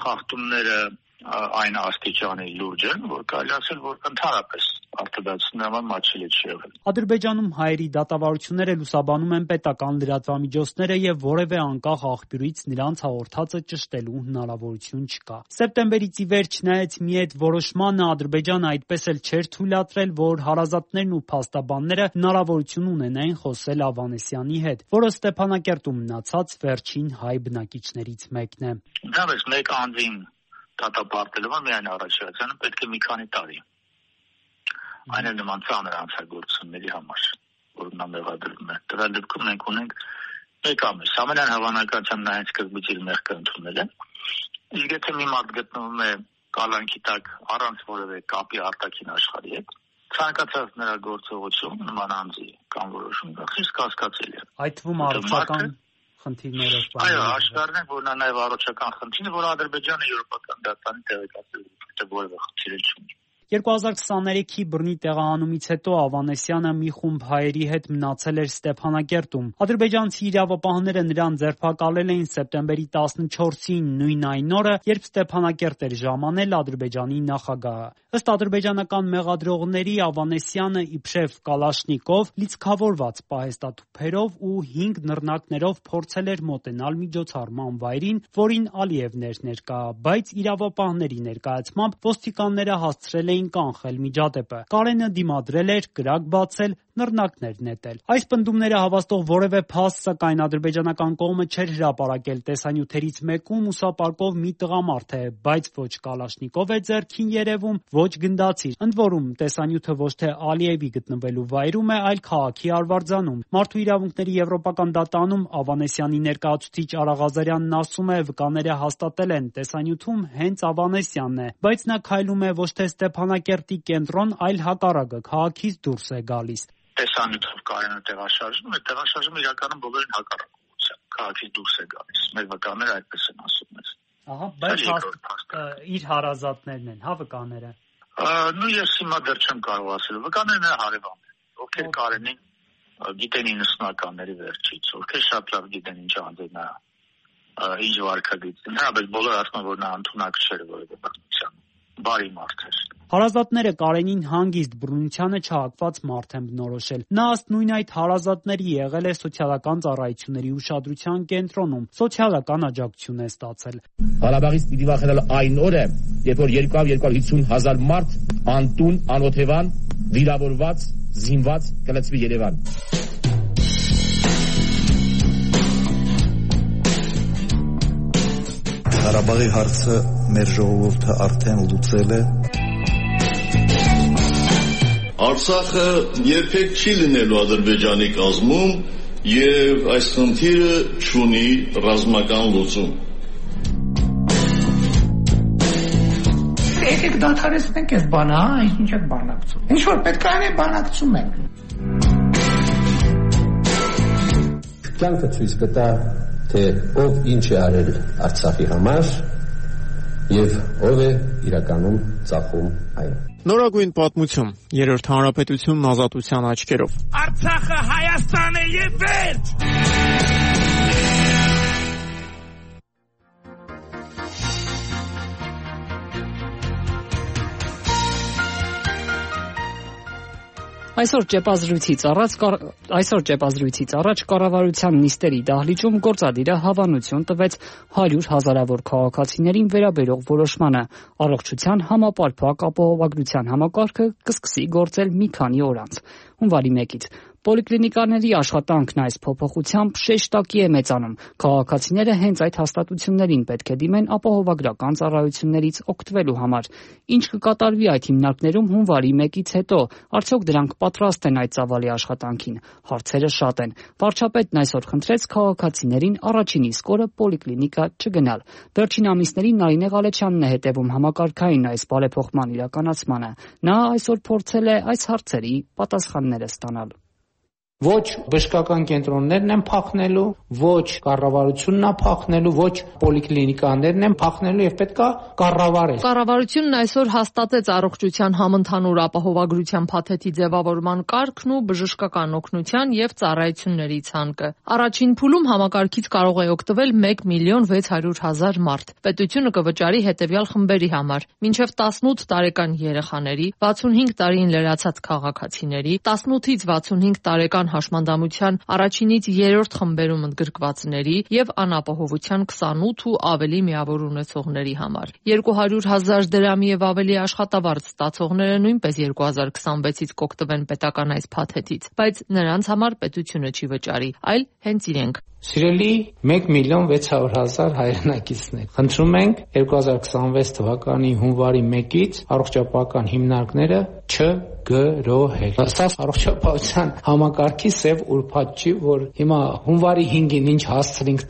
խախտումները այն աստիճանի լուրջ են, որ կարելի ասել, որ ընդհանրապես արդարադատության համար մատչելի չի եղել։ Ադրբեջանում հայերի դատավարությունները լուսաբանում են պետական լրատվամիջոցները եւ որևէ անկախ աղբյուրից նրանց հաղորդածը ճշտելու հնարավորություն չկա։ Սեպտեմբերից ի վեր, չնայած մի այդ որոշմանը, Ադրբեջանը այդպես էլ չէր թույլատրել, որ հարազատներն ու փաստաբանները հնարավորություն ունենային խոսել Ավանեսյանի հետ, որը Ստեփանակերտում մնացած վերջին հայ բնակիչներից մեկն է։ Դավես մեկ անձին դատապարտելը միայն առաջացանը պետք է մի քանի տարի։ Այն էլ նման ծանր հանցագործությունների համար, որ նա մեղադրվում է։ Դրա դեպքում մենք ունենք մեկ ամիս։ Ամենայն հավանականությամբ նա հենց սկզբից իր մեղքը ընդունել է։ Իսկ եթե մի մարդ գտնվում է կալանքի տակ առանց որևէ կապի արտաքին աշխարհի հետ, ցանկացած նրա գործողություն նման անձի կամ որոշում խիստ կասկածելի է։ Այդ թվում առողջական խնդիրներով։ Այո, հաշվառն է, որ նա նաև առողջական խնդիրն է, որ Ադրբեջանը Եվրոպական դատարանի տեղեկացել է, որևէ խնդիր չունի։ 2023-ի բռնի տեղահանումից հետո Ավանեսյանը մի խումբ հայերի հետ մնացել էր Ստեփանակերտում։ Ադրբեջանցի իրավապահները նրան ձերբակալել էին սեպտեմբերի 14-ին, նույն այն օրը, երբ Ստեփանակերտ էր ժամանել Ադրբեջանի նախագահը։ Ըստ ադրբեջանական մեղադրողների, Ավանեսյանը իբրև կալաշնիկով, լիցքավորված պահեստաթուփերով ու 5 նռնակներով փորձել էր մոտենալ միջոցառման վայրին, որին Ալիևն էր ներկա, բայց իրավապահների ներկայացմամբ ոստիկանները հասցրել էին կանխել միջադեպը։ Կարենը դիմադրել էր, կրակ բացել, նռնակներ նետել։ Այս պնդումները հավաստող որևէ փաստ, սակայն ադրբեջանական կողմը չէր հրապարակել տեսանյութերից մեկում ուսապարկով մի տղամարդ է, բայց ոչ կալաշնիկով է ձեռքին երևում, ոչ գնդացիր։ Ընդ որում, տեսանյութը ոչ թե Ալիևի գտնվելու վայրում է, այլ քաղաքի Արվարձանում։ Մարդու իրավունքների Եվրոպական դատարանում Ավանեսյանի ներկայացուցիչ Արա Ղազարյանն ասում է, վկաները հաստատել են, տեսանյութում հենց Ավանեսյանն է, բայց նա քայլում է ոչ թե Ստեփանակերտի կենտրոն, այլ հակառակը, քաղաքից դուրս է գալիս։ Տեսանյութով Կարենը տեղաշարժում է, տեղաշարժումը իրականում բոլորին հակառակ ուղղությամբ, քաղաքից դուրս է գալիս։ Մեր վկաները այդպես են ասում մեզ։ Ահա, բայց իր հարազատներն են, հա, վկաները։ Ну ես հիմա դեռ չեմ կարող ասել, վկաներն են հարևաններ, ովքեր Կարենին գիտեն 90-ականների վերջից, ովքեր շատ լավ գիտեն ինչ անձ է նա, ինչ վարքագիծ։ Հաբել բոլորը ասում են, որ նա ընդունակ չէր որևէ բռնության, բարի մարդ էր։ Հարազատները Կարենին հանգիստ բռնությանը չհակված մարդ են բնորոշել։ Նա ըստ նույն այդ հարազատների եղել է սոցիալական ծառայությունների ուշադրության կենտրոնում, սոցիալական աջակցություն է ստացել։ Ղարաբաղից պիտի վախենալ այն օրը, երբ որ 250,000 մարդ անտուն, անօթևան, վիրավորված, զինված կլցվի Երևան։ Ղարաբաղի հարցը մեր ժողովուրդը արդեն լուծել է։ Արցախը երբեք չի լինելու Ադրբեջանի կազմում եւ այս խնդիրը չունի ռազմական լուծում։ Եկեք դադարեցնենք այս բանը, ինչ եք բանակցում։ Ինչ որ պետք է անենք, բանակցում ենք։ Կյանքը ցույց կտա, թե ով ինչ է արել Արցախի համար եւ ով է իրականում ծախում այն։ Նորագույն պատմություն, երրորդ հանրապետությունն ազատության աչքերով։ Արցախը Հայաստան է եւ վերջ։ Այսօր ճեպազրույցից առաջ կառավարության նիստերի դահլիճում գործադիրը հավանություն տվեց 100 հազարավոր քաղաքացիներին վերաբերող որոշմանը։ Առողջության համապարփակ ապահովագրության համակարգը կսկսի գործել մի քանի օր անց։ Հունվարի 1-ից պոլիկլինիկաների աշխատանքն այս փոփոխությամբ շեշտակի է մեծանում։ Քաղաքացիները հենց այդ հաստատություններին պետք է դիմեն ապահովագրական ծառայություններից օգտվելու համար։ Ինչ կկատարվի այդ հիմնարկներում հունվարի 1-ից հետո, արդյոք դրանք պատրաստ են այդ ծավալի աշխատանքին։ Հարցերը շատ են։ Վարչապետն այսօր խնդրեց քաղաքացիներին առաջին իսկ օրը պոլիկլինիկա չգնալ։ Վերջին ամիսներին Նարինե Ղալեչյանն է հետևում համակարգային այս բարեփոխման իրականացմանը։ Նա այսօր փորձել է այս հարցերի պատասխանները ստանալ։ Ոչ բժշկական կենտրոններն են փախնելու, ոչ կառավարությունն է փախնելու, ոչ պոլիկլինիկաներն են փախնելու եւ պետքա կառավարել։ Կառավարությունն այսօր հաստատեց առողջության համընդհանուր ապահովագրության փաթեթի ձևավորման կարգն ու բժշկական օգնության եւ ծառայությունների ցանկը։ Առաջին փուլում համակարգից կարող է օգտվել 1,600,000 մարդ։ Պետությունը կվճարի հետեւյալ խմբերի համար՝ մինչեւ 18 տարեկան երեխաների, 65 տարին լրացած քաղաքացիների, 18-ից 65 տարեկան հաշմանդամության առաջինից երրորդ խմբերում ընդգրկվածների եւ անապահովության 28 ու ավելի միավոր ունեցողների համար։ 200,000 դրամի եւ ավելի աշխատավարձ ստացողները նույնպես 2026-ից կօգտվեն պետական այս փաթեթից, բայց նրանց համար պետությունը չի վճարի, այլ հենց իրենք։ Սիրելի 1,600,000 հայրենակիցներ, խնդրում ենք 2026 թվականի հունվարի 1-ից առողջապահական հիմնարկները չգրոհել։ Սա առողջապահության համակարգի սև ուրբաթ չի, որ հիմա հունվարի 5-ին ինչ հասցրինք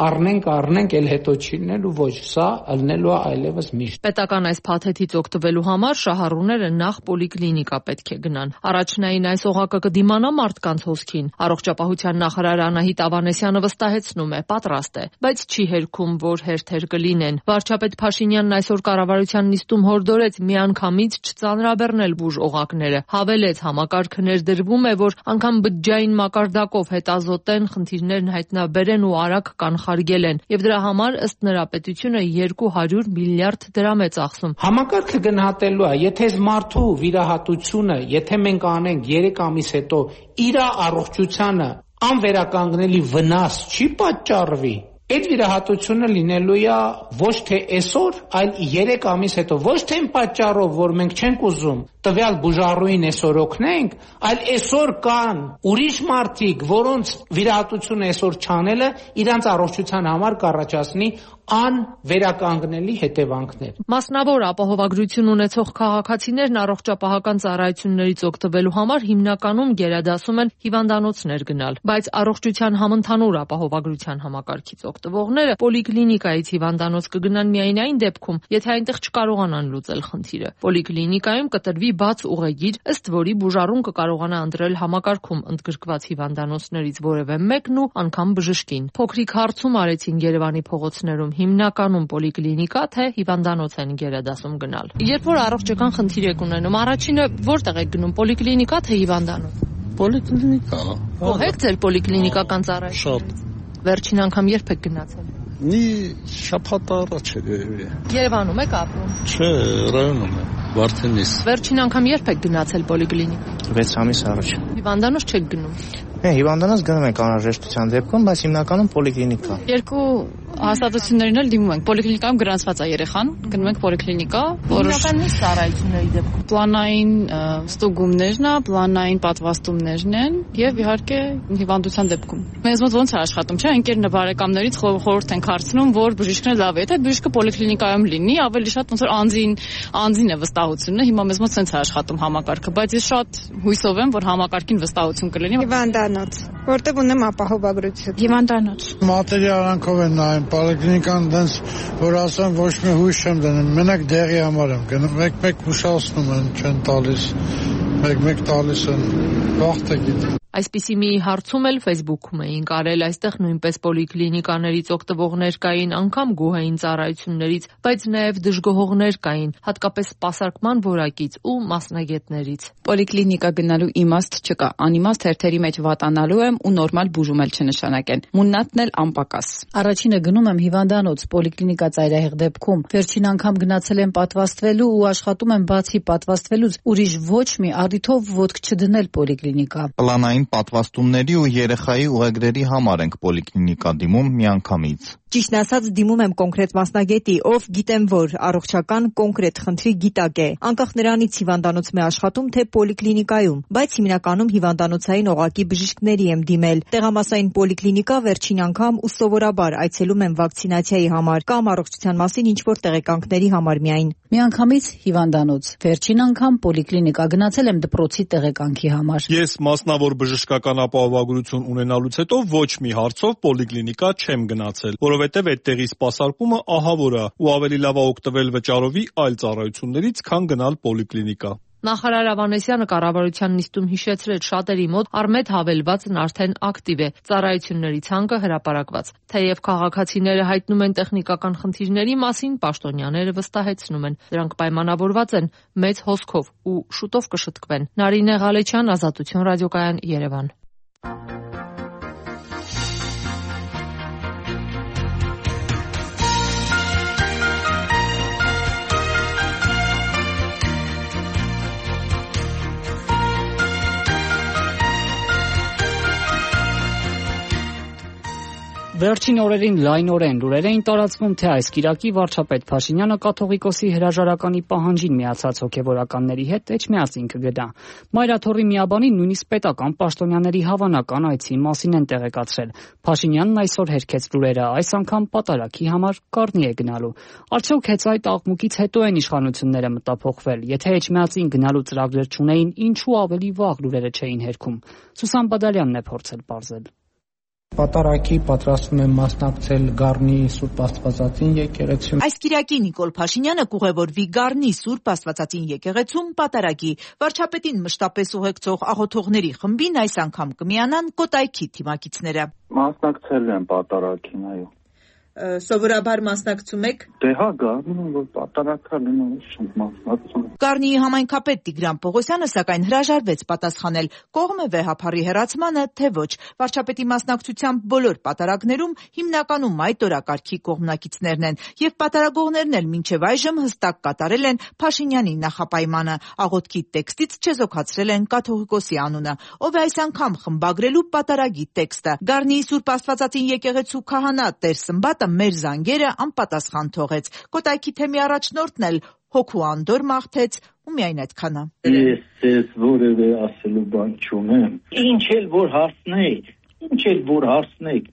առնենք, էլ հետո չի լինելու, ոչ, սա ելնելու է այլևս միշտ։ Պետական այս փաթեթից օգտվելու համար շահառուները նախ պոլիկլինիկա պետք է գնան։ Առաջնային այս օղակը կդիմանա մարդկանց հոսքին։ Առողջապահության նախարար Անահիտ Ավանեսյանը վստահեցնում է, պատրաստ է, բայց չի հերքում, որ հերթեր կլինեն։ Վարչապետ Փաշինյանն այսօր կառավարության նիստում հորդորեց միանգամից չծանրաբեռնել բուժ օղակները։ Հավելեց, համակարգը ներդրվում է, որ անգամ բջջային մակարդակով հետազոտեն, խնդիրներն հայտնաբերեն ու արագ կանխարգելեն, եւ դրա համար ըստ նրա պետությունը 200 միլիարդ դրամ է ծախսում։ Համակարգը գնահատելու է, եթե մարդու վիրահատությունը, եթե մենք անենք 3 ամիս հետո իր առողջությանը անվերականգնելի վնաս չի պատճառվի, այդ վիրահատությունը լինելու է ոչ թե այսօր, այլ 3 ամիս հետո, ոչ թե այն պատճառով, որ մենք չենք ուզում տվյալ բուժառուին այսօր օգնենք, այլ այսօր կան ուրիշ մարդիկ, որոնց վիրահատությունը այսօր չանելը իրանց առողջության համար կառաջացնի անվերականգնելի հետևանքներ։ Մասնավոր ապահովագրություն ունեցող քաղաքացիներն առողջապահական ծառայություններից օգտվելու համար հիմնականում գերադասում են հիվանդանոցներ գնալ, բայց առողջության համընդհանուր ապահովագրության համակարգից օգտվողները պոլիկլինիկայից հիվանդանոց կգնան միայն այն դեպքում, եթե այնտեղ չկարողանան լուծել խնդիրը։ Պոլիկլինիկայում կտրվի բաց ուղեգիր, ըստ որի բուժառուն կկարողանա ընտրել համակարգում ընդգրկված հիվանդանոցներից որևէ մեկն ու անգամ բժշկին։ Փոքրիկ հարցում արեցին Երևանի փողոցներում հիմնականում պոլիկլինիկա թե հիվանդանոց են գերադասում գնալ։ Երբ որ առողջական խնդիր եք ունենում, առաջինը որտեղ եք գնում, պոլիկլինիկա թե հիվանդանոց։ Պոլիկլինիկա։ Ո՞ր եք ձեր պոլիկլինիկական ծառայություն։ Շատ։ Վերջին անգամ երբ եք գնացել։ Մի շաբաթ առաջ է երևի։ Երևանում եք ապրում։ Չէ, ռայոնում եմ, Վարդենիս։ Վերջին անգամ երբ եք գնացել պոլիկլինիկա։ 6 ամիս առաջ։ Հիվանդանոց չեք գնում։ Հիվանդանոց գնում ենք անհրաժեշտության դեպքում, բայց հիմնականում պոլիկլինիկա։ Երկու հաստատություններին էլ դիմում ենք։ Պոլիկլինիկայում գրանցված է երեխան, գնում ենք պոլիկլինիկա, որոշական ծառայությունների դեպքում պլանային ստուգումներն է, պլանային պատվաստումներն են եւ իհարկե հիվանդության դեպքում։ Մեզ մոտ ոնց է աշխատում, չէ՞, ընկերն բարեկամներից խորհուրդ ենք հարցնում, որ բժիշկն լավ է, եթե բժիշկը պոլիկլինիկայում լինի, ավելի շատ ոնց որ անձին է վստահությունը։ Հիմա մեզ մոտ սենց է աշխատում համակարգը, բայց ես շատ հույսով եմ, որ համակարգին վստահություն կլինի։ Հիվանդանոց, որտեղ ունեմ ապահովագրություն։ Հիվանդանոց։ Մատերիալանքով են նայում, պոլիկլինիկան դենց որ ասեմ ոչ մի հույս չեմ դնում, մենակ դեղի համար եմ գնում, մեկ-մեկ հուշացնում են, չեն տալիս, մեկ-մեկ տալիս են, վաղ թե գիտի։ Այսպիսի մի հարցում էլ Facebook-ում էինք արել, այստեղ նույնպես պոլիկլինիկաներից օգտվողներ կային, անգամ գոհային ծառայություններից, բայց նաև դժգոհողներ կային, հատկապես սպասարկման որակից ու մասնագետներից։ Պոլիկլինիկա գնալու իմաստ չկա, անիմաստ հերթերի մեջ վատանալու եմ ու նորմալ բուժում էլ չնշանակեն։ Մուննատն էլ անպակաս։ Առաջինը գնում եմ հիվանդանոց, պոլիկլինիկա ծայրահեղ դեպքում։ Վերջին անգամ գնացել եմ պատվաստվելու ու աշխատում եմ բացի պատվաստվելուց ուրիշ ոչ մի առիթով ոտք չդնել պոլիկլինիկա։ Պլանային պատվաստումների ու երեխայի ուղեգրերի համար ենք պոլիկլինիկա դիմում միանգամից։ Ճիշտն ասած դիմում եմ կոնկրետ մասնագետի, ով գիտեմ, որ առողջական կոնկրետ խնդրի գիտակ է, անկախ նրանից հիվանդանոցում է աշխատում, թե պոլիկլինիկայում, բայց հիմնականում հիվանդանոցային օղակի բժիշկների եմ դիմել։ Տեղամասային պոլիկլինիկա վերջին անգամ ու սովորաբար այցելում եմ վակցինացիայի համար կամ առողջության մասին ինչ-որ տեղեկանքների համար միայն։ Միանգամից հիվանդանոց, վերջին անգամ պոլիկլինիկա գնացել եմ դպրոցի տեղեկանքի համար։ Ես մասնավոր բժշկական ապահովագրություն ունենալուց հետո ոչ մի հարցով պոլիկլինիկա չեմ գնացել, որովհետև այդտեղի սպասարկումը ահավոր է ու ավելի լավ է օգտվել վճարովի այլ ծառայություններից, քան գնալ պոլիկլինիկա։ Նախարար Ավանեսյանը կառավարության նիստում հիշեցրեց շատերի մոտ առմետ հավելվածն արդեն ակտիվ է, ծառայությունների ցանկը հրապարակված։ Թեև քաղաքացիները հայտնում են տեխնիկական խնդիրների մասին, պաշտոնյաները վստահեցնում են, դրանք պայմանավորված են մեծ հոսքով ու շուտով կշտկվեն։ Նարինե Ղալեչյան, Ազատություն ռադիոկայան, Երևան։ Վերջին օրերին լայնորեն լուրեր էին տարածվում, թե այս կիրակի վարչապետ Փաշինյանը կաթողիկոսի հրաժարականի պահանջին միացած հոգևորականների հետ էջմիածին կգնա։ Մայրաթոռի միաբանին նույնիսկ պետական պաշտոնյաների հավանական այցի մասին են տեղեկացրել։ Փաշինյանն այսօր հերքեց լուրերը, այս անգամ պատարագի համար Կառնի է գնալու։ Արդյոք հենց այդ աղմուկից հետո են իշխանությունները մտափոխվել։ Եթե էջմիածին գնալու ծրագրեր չունեին, ինչու ավելի վաղ լուրերը չէին հերքում։ Սուսան Բադալյանն է փորձել պարզել։ Պատարագի պատրաստվում եմ մասնակցել Գառնի Սուրբ Աստվածածին եկեղեցում։ Այս կիրակի Նիկոլ Փաշինյանը կուղևորվի Գառնի Սուրբ Աստվածածին եկեղեցում պատարագի։ Վարչապետին մշտապես ուղեկցող աղոթողների խմբին այս անգամ կմիանան Կոտայքի թիմակիցները։ Մասնակցել եմ պատարագին, այո։ Սովորաբար մասնակցում եք։ Դե հա, գարնում որ պատարակալ եմ մասնակցում։ Գառնիի համայնքապետ Տիգրան Պողոսյանը սակայն հրաժարվեց պատասխանել կողմ է վեհափարի հեռացմանը, թե ոչ։ Վարչապետի մասնակցությամբ բոլոր պատարագներում հիմնականում այդ օրակարգի կողմնակիցներն են, եւ պատարագողներն էլ մինչեւ այժմ հստակ կատարել են Փաշինյանի նախապայմանը։ Աղոթքի տեքստից չեզոքացրել են կաթողիկոսի անունը, ով է այս անգամ խմբագրելու պատարագի տեքստը։ Գառնիի Սուրբ Աստվածածին եկեղեցու քահանա Տեր Սմբատը մեր զանգերը անպատասխան թողեց։ Կոտայքի թեմի առաջնորդն էլ հոգու անդոր մաղթեց ու միայն այդքանը։ Ես ձեզ որևէ ասելու բան չունեմ։ Ինչ էլ որ հարցնեք,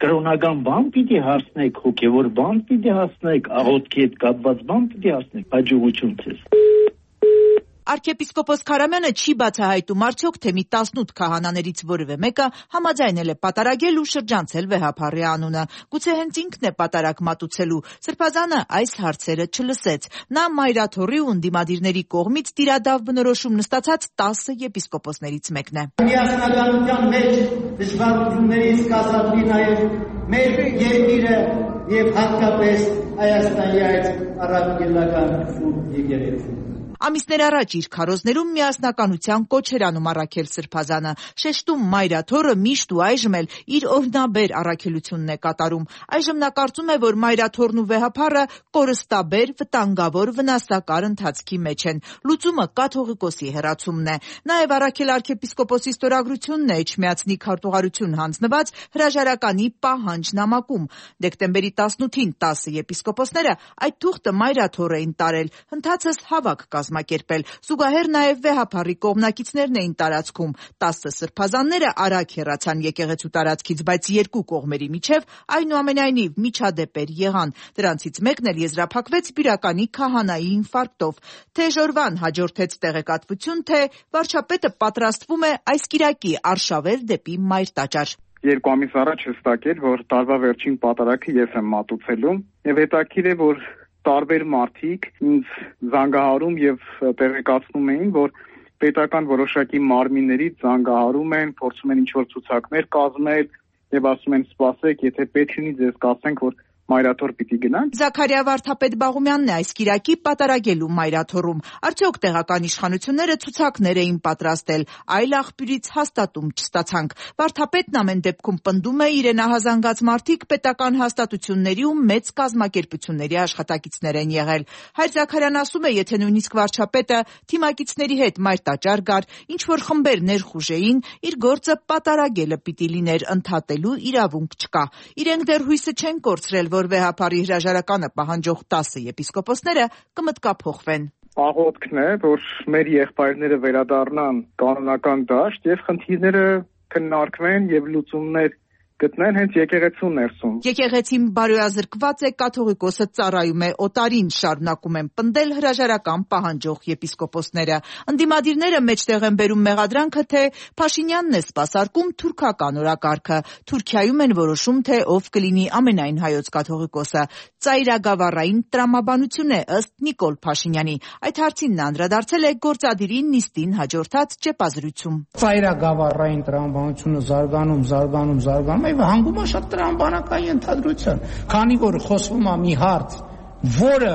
կրոնական բան պիտի հարցնեք, հոգևոր բան պիտի հասնեք, աղոթքի հետ կապված բան պիտի հասնեք, հաջողություն ձեզ։ Արքեպիսկոպոս Քարամյանը չի բացահայտում արդյոք թե մի 18 քահանաներից որևէ մեկը համաձայնել է պատարագել ու շրջանցել վեհափարի անունը։ Գուցե հենց ինքն է պատարագ մատուցելու։ Սրբազանը այս հարցերը չլսեց։ Նա Մայրաթոռի ու ընդդիմադիրների կողմից տիրադավ բնորոշում նստացած 10 եպիսկոպոսներից մեկն է։ Միասնականության մեջ դժվարություններից կազատվի նաև մեր երկիրը եւ հատկապես Հայաստանի այդ առաքելական սուրբ եկեղեցին։ Ամիսներ առաջ իր քարոզներում միասնականության կոչ էր անում առաքել Սրբազանը, շեշտում Մայրաթոռը միշտ ու այժմ էլ իր օրհնաբեր առաքելությունն է կատարում։ Այժմ նա կարծում է, որ Մայրաթոռն ու վեհափարը կորստաբեր, վտանգավոր, վնասակար ընթացքի մեջ են։ Լուծումը կաթողիկոսի հեռացումն է։ Նաև առաքել arczepiskopos ստորագրությունն է Էջմիածնի քարտուղարություն հանձնված հրաժարականի պահանջ նամակում։ Դեկտեմբերի 18-ին 10 եպիսկոպոսները այդ թուղթը Մայրաթոռ էին տարել, հնդածս հավաք կազմակերպել։ Զուգահեռ նաև վեհափարի կողմնակիցներն էին տարածքում։ 10 սրբազանները արագ հեռացան եկեղեցու տարածքից, բայց երկու կողմերի միջև այնուամենայնիվ միջադեպեր եղան։ Դրանցից մեկն էլ եզրափակվեց բյուրականի քահանայի ինֆարկտով։ Թեժորվան հաջորդեց տեղեկատվություն, թե վարչապետը պատրաստվում է այս կիրակի արշավել դեպի Մայրտաճար։ 2 ամիս առաջ հստակ էր, որ տարվա վերջին պատարագը ես եմ մատուցելու, եւ հետաքրքիր է, որ տարբեր մարդիկ ինձ զանգահարում եւ տեղեկացնում էին, որ պետական որոշակի մարմիններից զանգահարում են, փորձում են ինչ-որ ցուցակներ կազմել եւ ասում են սպասեք, եթե պետք լինի ձեզ կասենք, որ մայրաթոր պիտի գնանք։ Զաքարիա Վարդապետ Բաղումյանն է այս կիրակի պատարագելու մայրաթորում։ Արդյոք տեղական իշխանությունները ցուցակներ էին պատրաստել, այլ աղբյուրից հաստատում չստացանք։ Վարդապետն ամեն դեպքում պնդում է իրեն ահազանգած մարդիկ պետական հաստատությունների ու մեծ կազմակերպությունների աշխատակիցներ են եղել։ Հայր Զաքարյան ասում է, եթե նույնիսկ վարչապետը թիմակիցների հետ մայրտաճար գար, ինչ որ խմբեր ներխուժեին, իր գործը պատարագելը պիտի լիներ, ընդհատելու իրավունք չկա։ Իրենք դեռ հույսը չեն կորցրել, որ վեհապարի հրաժարականը պահանջող 10 եպիսկոպոսները կմտկափոխվեն։ Աղոթքն է, որ մեր եղբայրները վերադառնան կանոնական դաշտ եւ խնդիրները քննարկվեն եւ լուծումներ գտնեն հենց եկեղեցու ներսում։ Եկեղեցին բարոյազրկված է, կաթողիկոսը ծառայում է օտարին, շարունակում են պնդել հրաժարական պահանջող եպիսկոպոսները։ Ընդդիմադիրները մեջտեղ են բերում մեղադրանքը, թե Փաշինյանն է սպասարկում թուրքական օրակարգը։ Թուրքիայում են որոշում, թե ով կլինի ամենայն հայոց կաթողիկոսը։ Ծայրագավառային տրամաբանություն է ըստ Նիկոլ Փաշինյանի։ Այդ հարցին նա անդրադարձել է գործադիրի նիստին հաջորդած ճեպազրույցում։ Ծայրագավառային տրամաբանությունը զարգանում եւ հանգում է շատ տրամաբանական ենթադրության, քանի որ խոսվում է մի հարց, որը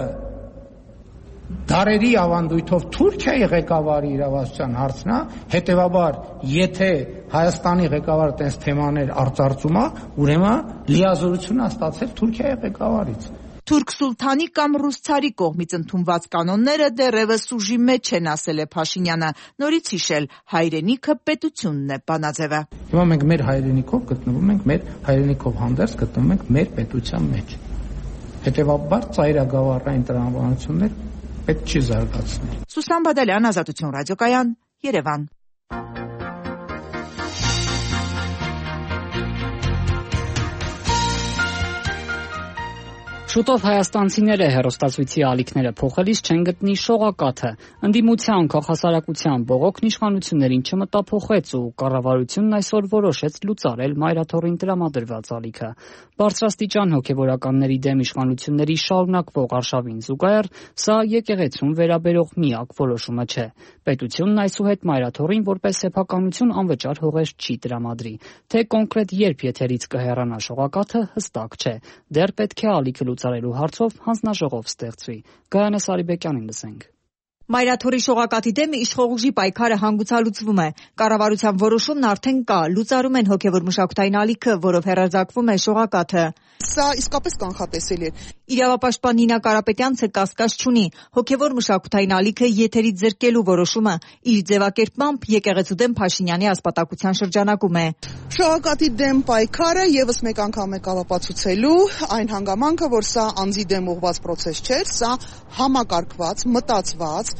դարերի ավանդույթով Թուրքիայի ղեկավարի իրավասության հարցն է, հետեւաբար եթե Հայաստանի ղեկավարը տես թեմաներ արծարծում է, ուրեմն լիազորություն է ստացել Թուրքիայի ղեկավարից։ Թուրք սուլթանի կամ ռուս ցարի կողմից ընդունված կանոնները դեռևս ուժի մեջ են, ասել է Փաշինյանը, նորից հիշել, հայրենիքը պետությունն է բանաձևը։ Հիմա մենք մեր հայրենիքով գտնվում ենք, մեր հայրենիքով հանդերձ գտնվում ենք մեր պետության մեջ։ Հետևաբար ծայրագավառային տրամաբանություններ պետք չի զարգացնել։ Սուսան Բադալյան, Ազատություն ռադիոկայան, Երևան։ Շուտով հայաստանցիները հեռուստացույցի ալիքները փոխելիս չեն գտնի շողակաթը։ Ընդդիմության քաղաքասարակության բողոքն իշխանություններին չմտափոխեց ու կառավարությունն այսօր որոշեց լուծարել մայրաթորին տրամադրված ալիքը։ Բարձրաստիճան հոգևորականների դեմ իշխանությունների շարունակվող արշավին զուգահեռ սա եկեղեցուն վերաբերող միակ որոշումը չէ։ Պետությունն այսուհետ մայրաթորին որպես սեփականություն անվճար հողեր չի տրամադրի։ Թե կոնկրետ երբ եթերից կհեռանա շողակաթը հստակ չէ։ Դեռ պետք է ալիքը լուծարելու հարցով հանձնաժողով ստեղծվի։ Գայանե Սարիբեկյանին լսենք։ Մայրաթորի շողակաթի դեմ իշխող ուժի պայքարը հանգուցալուծվում է։ Կառավարության որոշումն արդեն կա, լուծարում են հոգևոր մշակութային ալիքը, որով հեռարձակվում է շողակաթը։ Սա իսկապես կանխատեսելի է։ Իրավապաշտպան Նինա Կարապետյանցը կասկած չունի, հոգևոր մշակութային ալիքը եթերից զրկելու որոշումը իր ձևակերպմամբ եկեղեցու դեմ Փաշինյանի ասպատակության շրջանակում է։ Շողակաթի դեմ պայքարը եւս մեկ անգամ է ապացուցելու այն հանգամանքը, որ սա անձի դեմ ուղղված process չէ, սա համակարգված, մտածված,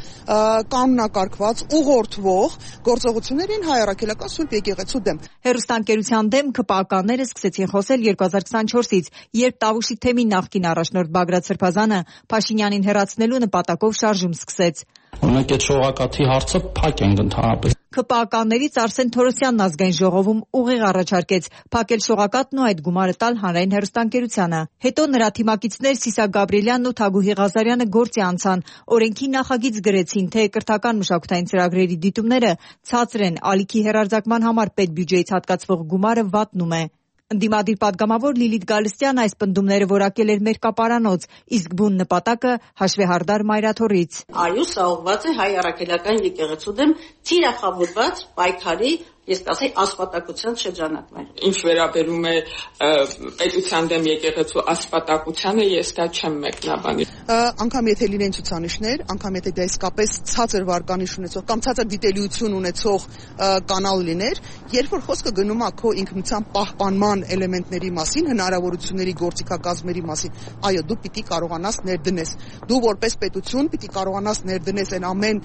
կանոնակարգված, ուղղորդվող գործողություններին հայ առաքելական Սուրբ եկեղեցու դեմ։ Հեռուստաընկերության դեմ ԿՊԱ-կանները սկսեցին խոսել 2024-ից, երբ Տավուշի թեմի նախկին առաջնորդ Բագրատ Սրբազանը Փաշինյանին հեռացնելու նպատակով շարժում սկսեց։ Ունենք այդ շողակաթի հարցը փակ ենք ընդհանրապես։ ԿՊԱ-կաններից Արսեն Թորոսյանն ազգային ժողովում ուղիղ առաջարկեց փակել շողակաթն ու այդ գումարը տալ հանրային հեռուստաընկերությանը։ Հետո նրա թիմակիցներ Սիսակ Գաբրիելյանն ու Թագուհի Ղազարյանը գործի անցան, օրենքի նախագիծ գրեցին, թե կրթական մշակութային ծրագրերի դիտումները ցածր են, ալիքի հեռարձակման համար պետբյուջեից հատկացվող գումարը վատնում է։ Ընդդիմադիր պատգամավոր Լիլիթ Գալստյանը այս պնդումները որակել էր Մերկապարանոց, իսկ բուն նպատակը հաշվեհարդար մայրաթորից։ Այո, սա ուղղված է հայ առաքելական եկեղեցու դեմ թիրախավորված պայքարի, ես կասեի, ասպատակության շրջանակներ։ Ինչ վերաբերում է պետության դեմ եկեղեցու ասպատակությանը, ես դա չեմ մեկնաբանի։ Անկամ եթե լինեն ցուցանիշներ, անկամ եթե դա իսկապես ցածր վարկանիշ ունեցող կամ ցածր դիտելիություն ունեցող կանալ լիներ, երբ որ խոսքը գնում է քո ինքնության պահպանման էլեմենտների մասին, հնարավորությունների գործիքակազմերի մասին, այո, դու պիտի կարողանաս ներդնես։ Դու որպես պետություն պիտի կարողանաս ներդնես այն ամեն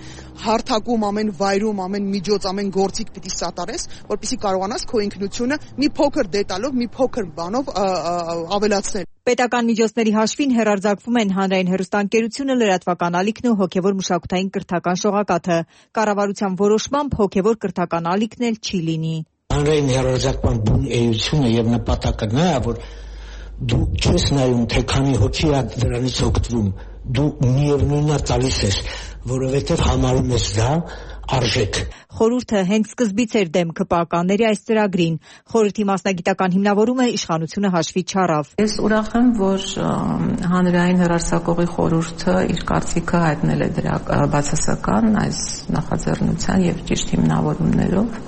հարթակում, ամեն վայրում, ամեն միջոց, ամեն գործիք պիտի սատարես, որպեսզի կարողանաս քո ինքնությունը մի փոքր դետալով, մի փոքր բանով ավելացնել։ Պետական միջոցների հաշվին հեռարձակվում են հանրային հեռուստաընկերությունը, լրատվական ալիքն ու հոգևոր մշակութային կրթական շողակաթը։ Կառավարության որոշմամբ հոգևոր կրթական ալիքն էլ չի լինի։ Հանրային հեռարձակման բուն էությունը եւ նպատակը նա է, որ դու չես նայում, թե քանի հոգի է դրանից օգտվում, դու միևնույնն է տալիս ես, որովհետեւ համարում ես դա արժեք։ Խորհուրդը հենց սկզբից էր դեմ ԿՊԱ-ականների այս ծրագրին։ Խորհրդի մասնագիտական հիմնավորումը իշխանությունը հաշվի չառավ։ Ես ուրախ եմ, որ հանրային հեռարձակողի խորհուրդը իր կարծիքը հայտնել է դրա բացասական այս նախաձեռնության եւ ճիշտ հիմնավորումներով,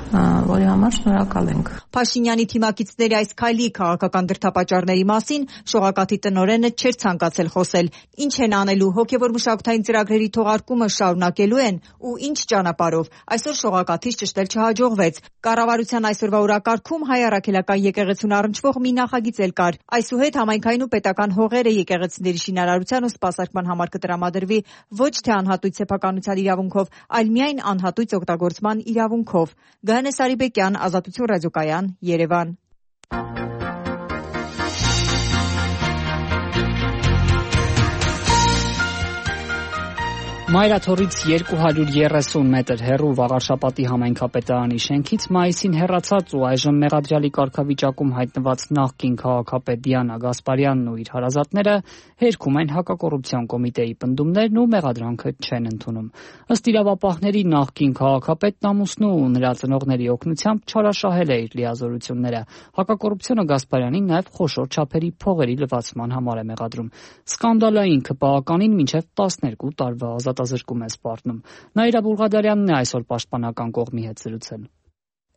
որի համար շնորհակալ ենք։ Փաշինյանի թիմակիցների այս քայլի քաղաքական դրդապատճառների մասին շողակաթի տնօրենը չէր ցանկացել խոսել։ Ինչ են անելու, հոգևոր մշակութային ծրագրերի թողարկումը շարունակելու են ու ինչ ճանապարհով։ Այսօր շողակաթից ճշտել չհաջողվեց։ Կառավարության այսօրվա օրակարգում հայ առաքելական եկեղեցուն առնչվող մի նախագիծ էլ կար։ Այսուհետ համայնքային ու պետական հողերը եկեղեցիների շինարարության ու սպասարկման համար կտրամադրվի ոչ թե անհատույց սեփականության իրավունքով, այլ միայն անհատույց օգտագործման իրավունքով։ Գայանե Սարիբեկյան, Ազատություն ռադիոկայան, Երևան։ Մայրաթորից 230 մետր հեռու Վաղարշապատի համայնքապետարանի շենքից մայիսին հեռացած ու այժմ մեղադրյալի կարգավիճակում հայտնված նախկին քաղաքապետ Դիանա Գասպարյանն ու իր հարազատները հերքում են հակակոռուպցիոն կոմիտեի պնդումներն ու մեղադրանքը չեն ընդունում։ Ըստ իրավապահների նախկին քաղաքապետն ամուսնու ու նրա ծնողների օգնությամբ չարաշահել է իր լիազորությունները։ Հակակոռուպցիոնը Գասպարյանին նաև խոշոր չափերի փողերի լվացման համար է մեղադրում։ Սկանդալային ԿՊԱ-ականին մինչև 12 տարվա ազատազրկում է սպառնում։ Նաիրա Բուլղադարյանն է այսօր պաշտպանական կողմի հետ զրուցել։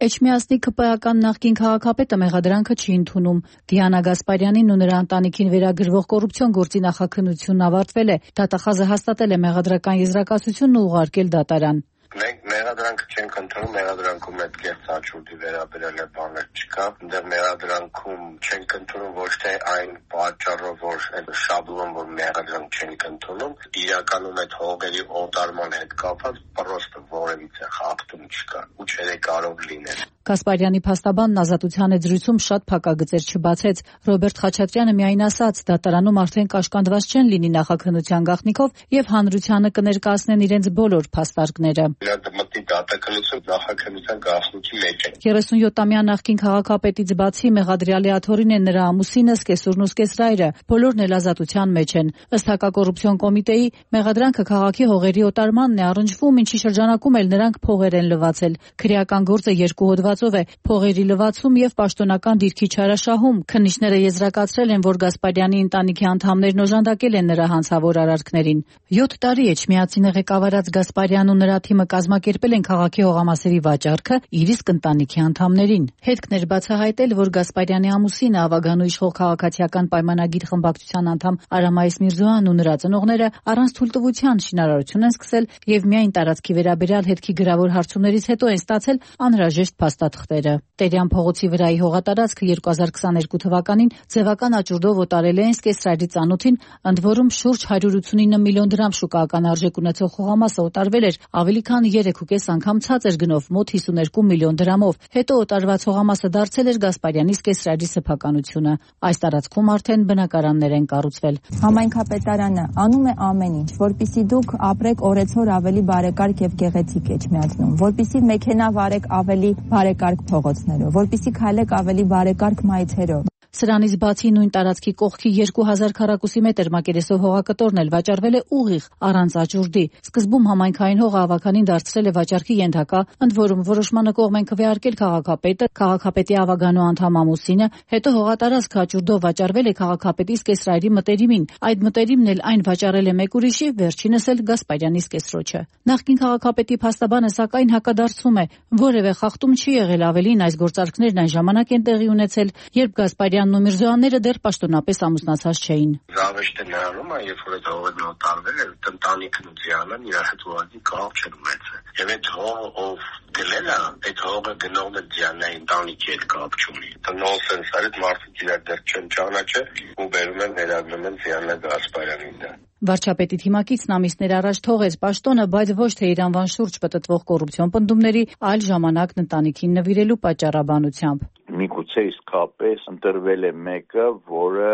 Էջմիածնի ԿՊԱ-ական նախկին քաղաքապետը մեղադրանքը չի ընդունում։ Դիանա Գասպարյանին ու նրա ընտանիքին վերագրվող կոռուպցիոն գործի նախաքննությունն ավարտվել է։ Դատախազը հաստատել է մեղադրական եզրակացությունն ու ուղարկել դատարան։ Մենք մեղադրանքը չենք ընդունում, մեղադրանքում այդ կեղծ աչուրդի վերաբերել է բաներ չկա։ Այնտեղ մեղադրանքում չենք ընդունում ոչ թե այն պատճառով, որ այդ շաբլոն, որ մեղադրանք չենք ընդունում, իրականում այդ հողերի օտարման հետ կապված պրոստը որևիցե խախտում չկա ու չէ կարող լինել։ Գասպարյանի փաստաբանն Ազատության զրույցում շատ փակագծեր չբացեց։ Ռոբերտ Խաչատրյանը միայն ասաց, դատարանում արդեն կաշկանդված չեն լինի նախաքննության գաղտնիքով եւ հանրությանը կներկայացնեն իրենց բոլոր փաստարկները։ Մտի դատականություն նախաքննության գաղտնիքի մեջ է։ 37-ամյա նախկին քաղաքապետից բացի մեղադրյալի աթոռին են նրա ամուսինը, սկեսուրն ու սկեսրայրը, բոլորն էլ ազատության մեջ են։ Ըստ հակակոռուպցիոն կոմիտեի մեղադրանքը քաղաքի հողերի օտարմանն է առնչվում, ինչի շրջանակում էլ նրանք փողեր են լվացել։ Քրեական գործը երկու հոդվածով է՝ փողերի լվացում եւ պաշտոնական դիրքի չարաշահում։ Քննիչները եզրակացրել են, որ Գասպարյանի ընտանիքի անդամներն օժանդակել են նրա հանցավոր արարքներին։ 7 տարի Էջմիածինը ղեկավարած Գասպարյանն ու նրա թիմը կազմակերպել են քաղաքի հողամասերի վաճառքը իր իսկ ընտանիքի անդամներին։ Հետքն էր բացահայտել, որ Գասպարյանի ամուսինը Ավագանու իշխող քաղաքացիական պայմանագիր խմբակցության անդամ Արամայիս Միրզոյանն ու նրա ծնողները առանց թույլտվության շինարարություն են սկսել եւ միայն տարածքի վերաբերյալ հետքի գրավոր հարցումներից հետո են ստացել անհրաժեշտ փաստաթղթերը։ Տերյան փողոցի վրայի հողատարածքը 2022 թվականին ձևական աճուրդով օտարել են Սկեսրայրի ծանոթին, ընդ որում շուրջ 189 միլիոն դրամ շուկայական արժեք ունեցող հողամասը օտարվել էր ավելի քան 3.5 անգամ ցածր գնով, մոտ 52 միլիոն դրամով։ Հետո օտարված հողամասը դարձել էր Գասպարյանի Սկեսրայրի սեփականությունը։ Այս տարածքում արդեն բնակարաններ են կառուցվել։ Համայնքապետարանը անում է ամեն ինչ, որպեսզի դուք ապրեք օրեցօր ավելի բարեկարգ եւ գեղեցիկ Էջմիածնում, որպեսզի մեքենա վարեք ավելի բարեկարգ փողոցներով, որպեսզի քայլեք ավելի բարեկարգ մայթերով։ Սրանից բացի նույն տարածքի կողքի 2000 քառակուսի մետր մակերեսով հողակտորն էլ վաճառվել է ուղիղ, առանց աճուրդի։ Սկզբում համայնքային հողը ավականին դարձրել է վաճառքի ենթակա, ընդ որում որոշմանը կողմ են քվեարկել քաղաքապետը, քաղաքապետի Ավագանու անդամ ամուսինը, հետո հողատարածքը աճուրդով վաճառվել է քաղաքապետի Սկեսրայրի մտերիմին։ Այդ մտերիմն էլ այն վաճառել է մեկ ուրիշի, վերջինս էլ Գասպարյանի սկեսրոջը։ Նախկին քաղաքապետի փաստաբանը սակայն հակադարձում է, որևէ խախտում չի եղել, ավելին այս գործարքներն այն ժամանակ են տեղի ունեցել, երբ Գասպարյանն ու Միրզոյանները դեռ պաշտոնապես ամուսնացած չէին։ Զավեշտը նրանում է, երբ որ այդ հողերն օտարվել է, ընտանիքն ու ձիանան իր հետ ուղղակի կապ չեն ունեցել։ Եվ այդ հողը ով գնել է, այդ հողը գնողն է ձիանայի ընտանիքի հետ կապ չունի։ Դա նոնսենս է, այդ մարդիկ իրար դեռ չեն ճանաչել ու բերում են ներագրում են Դիանա Գասպարյանին դա։ Վարչապետի թիմակիցն ամիսներ առաջ թողեց պաշտոնը, բայց ոչ թե իր անվան շուրջ պտտվող կոռուպցիոն պնդումների, այլ ժամանակն ընտանիքին նվիրելու պատճառաբանությամբ։ Միգուցե միգուցե իսկապես ընտրվել է մեկը, որը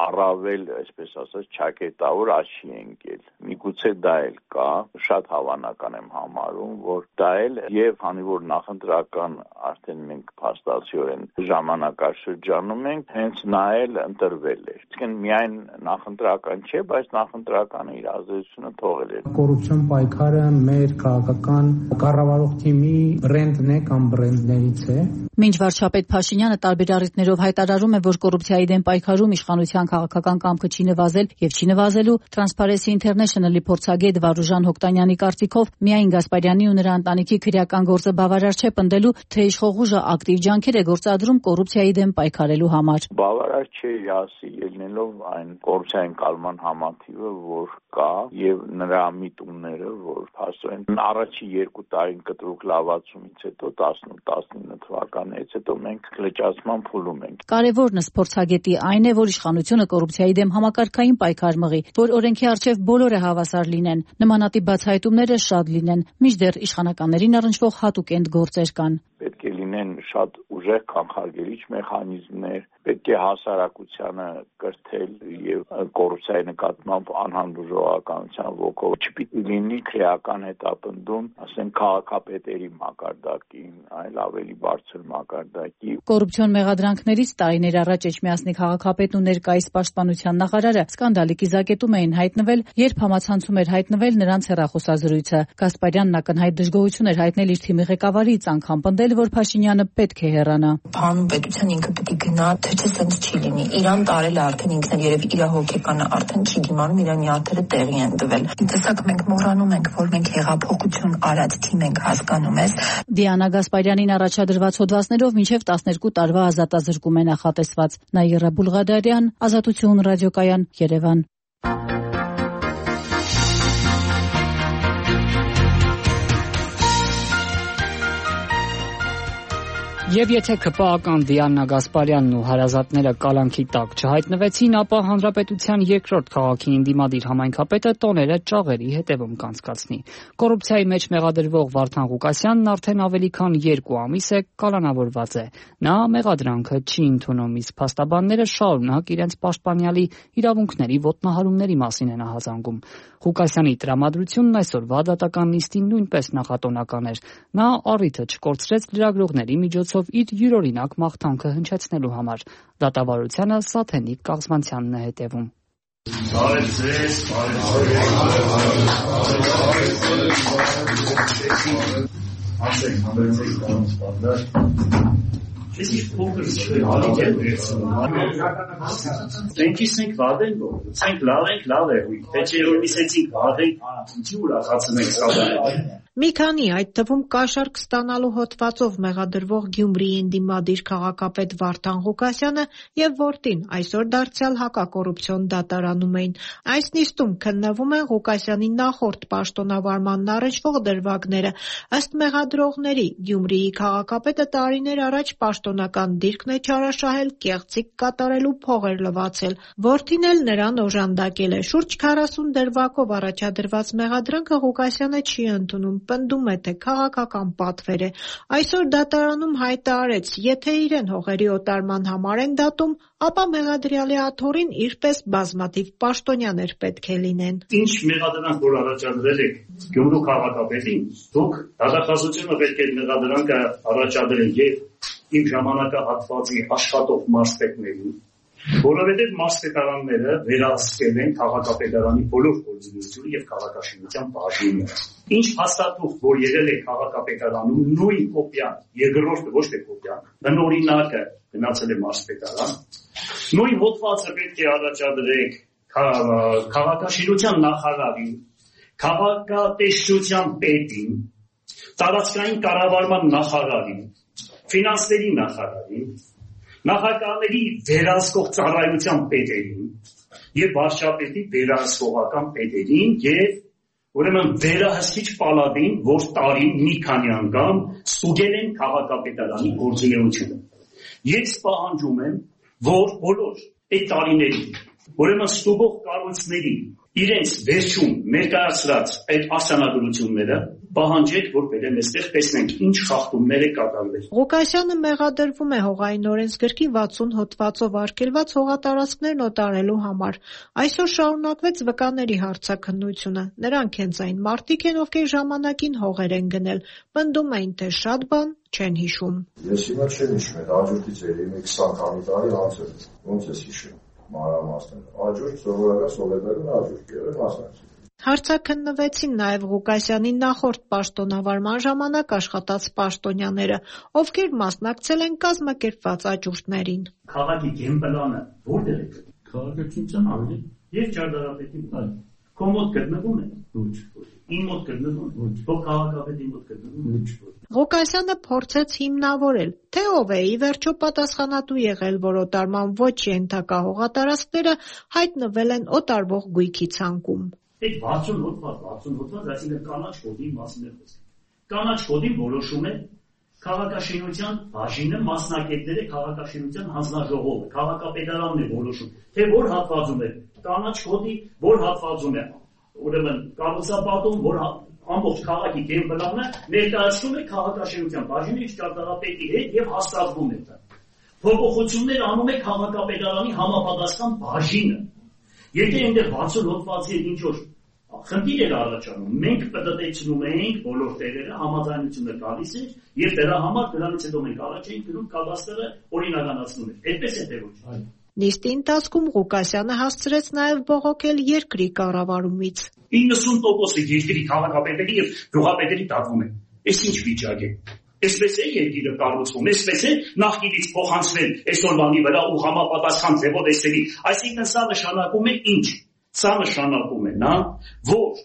առավել, այսպես ասած, ճակերտավոր աչքի է ընկել։ Միգուցե դա էլ կա, շատ հավանական եմ համարում, որ դա էլ եւ քանի որ նախընտրական արդեն մենք փաստացիորեն ժամանակաշրջանում ենք, հենց նա էլ ընտրվել է։ Իսկն միայն նախընտրական չէ, բայց նախընտրականը իր ազդեցությունը թողել է։ Կոռուպցիոն պայքարը մեր քաղաքական կառավարող թիմի բրենդն է կամ բրենդներից է։ Մինչ վարչապետ Փաշինյանը տարբեր առիթներով հայտարարում է, որ կոռուպցիայի դեմ պայքարում իշխանության քաղաքական կամքը չի նվազել եւ չի նվազելու, Transparency International-ի փորձագետ Վարուժան Հոկտանյանի կարծիքով միայն Գասպարյանի ու նրա ընտանիքի քրեական գործը բավարար չէ պնդելու, թե իշխող ուժը ակտիվ ջանքեր է գործադրում կոռուպցիայի դեմ պայքարելու համար։ Բավարար չէ ասի ելնելով այն կոռուպցիայի ընկալման համակարգը, որ կա եւ նրա միտումները, որ փաստորեն առաջի 2 տարին կտրուկ լավացումից հետո 18-19 թվականից հետո մենք լճացման փուլում ենք։ Կարևորն ըստ փորձագետի այն է, որ իշխանությունը կոռուպցիայի դեմ համակարգային պայքար մղի, որ օրենքի առջև բոլորը հավասար լինեն, նմանատիպ բացահայտումները շատ լինեն, մինչդեռ իշխանականներին առնչվող հատուկ գործեր կան։ Պետք է լինեն շատ ուժեղ կանխարգելիչ մեխանիզմներ, պետք է հասարակությանը կրթել եւ կոռուպցիայի նկատմամբ անհանդուրժողականության ոգով չպիտի լինի քրեական հետապնդում, ասենք քաղաքապետերի մակարդակին, այլ ավելի բարձր մակարդակի։ Կոռուպցիոն մեղադրանքներից տարիներ առաջ Էջմիածնի քաղաքապետն ու ներկայիս պաշտպանության նախարարը սկանդալի կիզակետում էին հայտնվել, երբ համացանցում էր հայտնվել նրանց հեռախոսազրույցը։ Գասպարյանն ակնհայտ դժգոհություն էր հայտնել իր թիմի ղեկավարից, անգամ պնդել, որ Փաշինյանը պետք է հեռանա։ Հանուն պետության ինքը պետք է գնա, թե չէ սենց չի լինի։ Իրան տարել է արդեն ինքն էլ երևի իր հոգեկանը արդեն չի դիմանում, իրան նյարդերը տեղի են տվել։ Տեսակ մենք մոռանում ենք, որ մենք հեղափոխություն արած թիմ ենք, հասկանում ես։ Դիանա Գասպարյանին առաջադրված հոդվածներով մինչև 12 տարվա ազատազրկում է նախատեսված։ Նաիրա Բուլղադարյան, Ազատություն ռադիոկայան, Երևան։ Եվ եթե ԿՊԱ-ական Դիանա Գասպարյանն ու հարազատները կալանքի տակ չհայտնվեցին, ապա հանրապետության երկրորդ քաղաքի ընդդիմադիր համայնքապետը տոները ճաղերի հետևում կանցկացնի։ Կոռուպցիայի մեջ մեղադրվող Վարդան Ղուկասյանն արդեն ավելի քան 2 ամիս է կալանավորված է։ Նա մեղադրանքը չի ընդունում, իսկ փաստաբանները շարունակ իրենց պաշտպանյալի իրավունքների ոտնահարումների մասին են ահազանգում։ Ղուկասյանի տրամադրությունն այսօրվա դատական նիստին նույնպես նախատոնական էր։ Նա առիթը չկորցրեց լրագրողների միջոցով իր յուրօրինակ մաղթանքը հնչեցնելու համար։ Դատավարությանը Սաթենիկ Կաղզմանցյանն է հետևում։ Մենք վարդենք, ցենք լավ է, թե չէ որ միսեցինք վարդենք, ինչի ուրախացնում ենք սա։ Մի քանի, այդ թվում կաշառք ստանալու հոդվածով մեղադրվող Գյումրիի ընդդիմադիր քաղաքապետ Վարդան Ղուկասյանը եւ որդին այսօր դարձյալ հակակոռուպցիոն դատարանում էին։ Այս նիստում քննվում են Ղուկասյանի նախորդ պաշտոնավարմանն առնչվող դրվագները։ Ըստ մեղադրողների, Գյումրիի քաղաքապետը տարիներ առաջ պաշտոնական դիրքն է չարաշահել, կեղծիք կատարելու փողեր լվացել։ Որդին էլ նրան օժանդակել է։ Շուրջ 40 դրվագով առաջադրված մեղադրանքը Ղուկասյանը չի ընդունում, պնդում է, թե քաղաքական պատվեր է։ Այսօր դատարանում հայտարարեց, եթե իրեն հողերի օտարման համար են դատում, ապա մեղադրյալի աթոռին իրպես բազմաթիվ պաշտոնյաներ պետք է լինեն։ Ինչ մեղադրանք որ առաջադրել եք Գյումրու քաղաքապետին, դուք դատախազությունը պետք է մեղադրանքը առաջադրել եւ իմ ժամանակահատվածի աշխատող մարզպետներին, որովհետև մարզպետարանները վերահսկել են քաղաքապետարանի բոլոր գործունեությունը եւ քաղաքաշինության բաժինները։ Ինչ հաստատող, որ եղել է քաղաքապետարանում, նույն կոպիան, երկրորդը ոչ թե կոպիան, բնօրինակը գնացել է մարզպետարան, նույն հոդվածը պետք է առաջադրեք քաղաքաշինության նախարարին, քաղաքատեսչության պետին, տարածքային կառավարման նախարարին, ֆինանսների նախարարին, նախագահների վերահսկող ծառայության պետերին եւ վարչապետի վերահսկողական պետերին եւ ուրեմն վերահսկիչ պալատին, որ տարին մի քանի անգամ ստուգել են քաղաքապետարանի գործունեությունը։ Ես պահանջում եմ, որ բոլոր այդ տարիներին ուրեմն ստուգող կառույցների իրենց վերջում ներկայացրած այդ արձանագրությունները պահանջեք, որ բերեմ այստեղ տեսնենք ինչ խախտումներ է կատարվել։ Ղուկասյանը մեղադրվում է հողային օրենսգրքի 60 հոդվածով արգելված հողատարածքներն օտարելու համար։ Այսօր շարունակվեց վկաների հարցաքննությունը։ Նրանք հենց այն մարդիկ են, ովքեր ժամանակին հողեր են գնել։ Պնդում էին, թե շատ բան չեն հիշում։ Ես հիմա չեմ հիշում, այդ հաջորդից էր 20 քանի տարի անց էր։ Ոնց ես հիշում մանրամասները։ Հաջորդ սովորական սովետներն հաջորդ եղել մասնակցել։ Հարցաքննվեցին նաև Ղուկասյանի նախորդ պաշտոնավարման ժամանակ աշխատած պաշտոնյաները, ովքեր մասնակցել են կազմակերպված աճուրդներին։ Քաղաքի գեմպլանը որտեղ է գտնվում։ Քաղաքացիության ավելի եւ ճարտարապետի վրա։ Քո մոտ գտնվում է ոչ։ Իմ մոտ գտնվում ոչ։ Քո քաղաքապետի մոտ գտնվում ոչ։ Ղուկասյանը փորձեց հիմնավորել, թե ով է ի վերջո պատասխանատու եղել, որ օտարման ոչ ենթակա հողատարածքները հայտնվել են օտարվող գույքի ցանկում։ Այդ 60 հոդված, այսինքն կանաչ կոդի մասին է խոսքը։ Կանաչ կոդին որոշում է քաղաքաշինության բաժինը, մասնակիցները, քաղաքաշինության հանձնաժողովը, քաղաքապետարանն է որոշում, թե որ հատվածում է կանաչ կոդի, որ հատվածում է, ուրեմն կառուցապատում, որ ամբողջ քաղաքի գեմպլանը ներկայացնում է քաղաքաշինության բաժինի ճարտարապետի հետ եւ հաստատվում է դա։ Փոփոխություններ անում է քաղաքապետարանի համապատասխան բաժինը։ Եթե այնտեղ 60 հոդվածի ինչ որ խնդիր էր առաջանում, մենք պտտեցնում էինք բոլոր տեղերը, համաձայնությունը գալիս էր եւ դրա համար դրանից հետո մենք առաջ էինք գնում կադաստրը օրինականացնում էր։ Այդպես է թե ոչ։ Նիստի ընթացքում Ղուկասյանը հասցրեց նաև բողոքել երկրի կառավարումից։ 90% երկրի քաղաքապետերի եւ գյուղապետերի դատվում են։ Այս ինչ վիճակ է։ Այսպես է երկիրը կառուցվում, այսպես է նախկինից փոխանցվել այսօրվանի վրա ու համապատասխան ձևով էսերի։ Այսինքն սա նշանակում է ինչ։ Սա նշանակում է նա, որ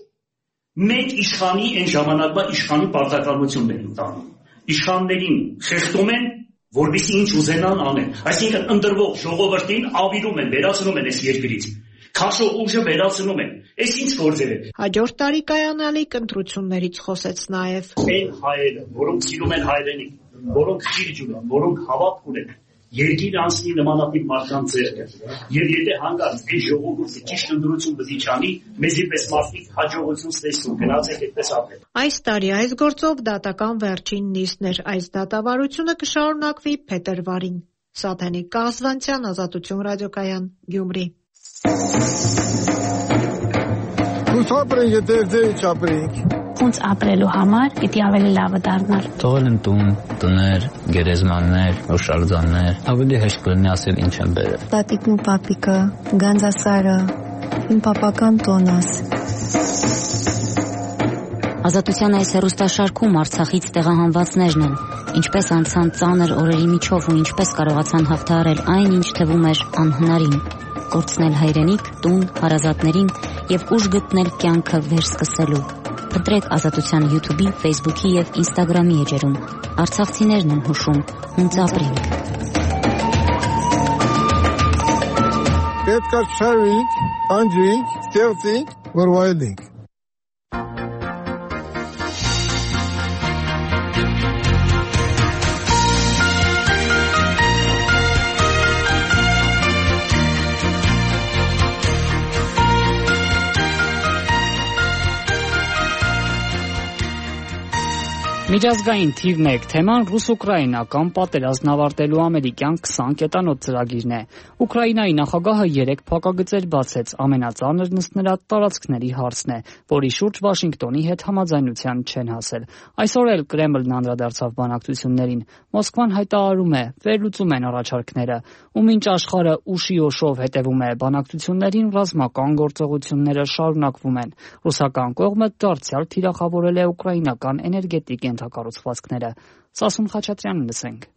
մենք իշխանի այն ժամանակվա իշխանի պարտականությունն ենք տանում։ Իշխաններին խեղդում են, որպեսզի ինչ ուզենան անեն։ Այսինքն ընտրվող ժողովրդին ավիրում են, վերացնում են այս երկրից։ Քաշող ուժը վերացնում են։ Այս ինչ գործեր է։ Հաջորդ տարի կայանալիք ընտրություններից խոսեց նաև։ Այն հայերը, որոնք սիրում են հայրենիք, որոնք ճիճ ունեն, որոնք հավատ ունեն, երկիր անցնի նմանատիպ մարդկանց ձեռքը։ Եվ եթե հանկարծ այս ժողովուրդը ճիշտ ընտրություն բզի չանի, մեզի պես մարդիկ հաջողություն ստեսնում, գնացեք այդպես ապրել։ Այս տարի այս գործով դատական վերջին նիստն էր։ Այս դատավարությունը կշարունակվի փետրվարին։ Սաթենիկ Կազվանցյան, Ազատություն ռադիոկայան, Գյումրի։ Ոնց ապրենք, եթե ձեր չապրենք։ Ոնց ապրելու համար պիտի ավելի լավը դառնալ։ Թողել են տուն, տներ, գերեզմաններ, հուշարձաններ, ավելի հեշտ կլինի ասել ինչ են բերել։ Տատիկն ու պապիկը, Գանձասարը, իմ պապական տոնս։ Ազատության այս հեռուստաշարքում Արցախից տեղահանվածներն են, ինչպես անցան ծանր օրերի միջով ու ինչպես կարողացան հաղթահարել այն, ինչ թվում էր անհնարին։ Կորցնել հայրենիք, տուն, հարազատներին եւ ուժ գտնել կյանքը վերսկսելու։ Փնտրեք Ազատության YouTube-ի, Facebook-ի եւ Instagram-ի էջերում։ Արցախցիներն են հուշում, ոնց ապրենք։ Պետք է շարվենք, անջենք, ստեղծենք, որ վայելենք։ Միջազգային թիվ 1 թեման ռուս-ուկրաինական պատերազմն ավարտելու ամերիկյան 20 կետանոց ծրագիրն է։ Ուկրաինայի նախագահը 3 փակագծեր բացեց, ամենածանրն ըստ նրա տարածքների հարցն է, որի շուրջ Վաշինգտոնի հետ համաձայնության չեն հասել։ Այսօր էլ Կրեմլն անդրադարձավ բանակցություններին։ Մոսկվան հայտարարում է, վերլուծում են առաջարկները, ու մինչ աշխարհը ուշիոշով հետևում է բանակցություններին, ռազմական գործողությունները շարունակվում են։ Ռուսական կողմը դարձյալ թիրախավորել է ուկրաինական էներգետիկ ենթակառուցվածքները։ Սասուն Խաչատրյանին լսենք։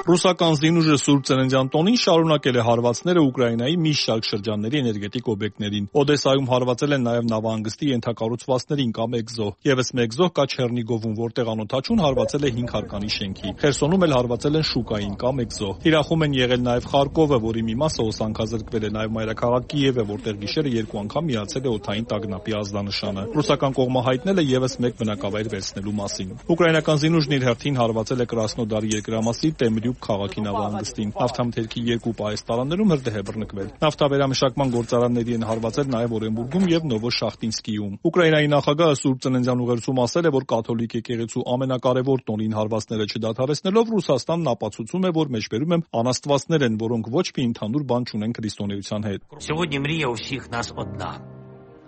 Ռուսական զինուժը Սուրբ Ծննդյան տոնին շարունակել է հարվածները Ուկրաինայի մի շարք շրջանների էներգետիկ օբյեկտներին։ Օդեսայում հարվածել են նաև նավահանգստի ենթակառուցվածքներին կամ էկզո։ Եվս մեկ զոհ կա Չեռնիգովում, որտեղ անօդաչուն հարվածել է 5 հարկանի շենքի։ Խերսոնում էլ հարվածել են շուկային կամ էկզո։ Թիրախում են եղել նաև Խարկովը, որի մի մասը օսանքազրկվել է, նաև մայրաքաղաք Կիևը, որտեղ գիշերը 2 անգամ միացել է օդային տագնապի ազդանշանը։ Ռուսական կողմը հայտնել է եւս մեկ բնակավայր վերցնելու մասին։ Ուկրաինական զինուժն իր հերթին հարվածել է Կրասնոդարի երկրամասի Տեմրիու Սուրբ քաղաքի նավահանգստին։ Նավթամթերքի 2 պահեստարաններում հրդեհ է բռնկվել։ Նավթավերամշակման գործարանների են հարվածել նաև Օրենբուրգում եւ Նովոշախտինսկիում։ Ուկրաինայի նախագահը Սուրբ Ծննդյան ուղերձում ասել է, որ կաթոլիկ եկեղեցու ամենակարևոր տոնին հարվածները չդադարեցնելով Ռուսաստանն ապացուցում է, որ մեջբերում են անաստվածներ են, որոնք ոչ մի ընդհանուր բան չունեն քրիստոնեության հետ։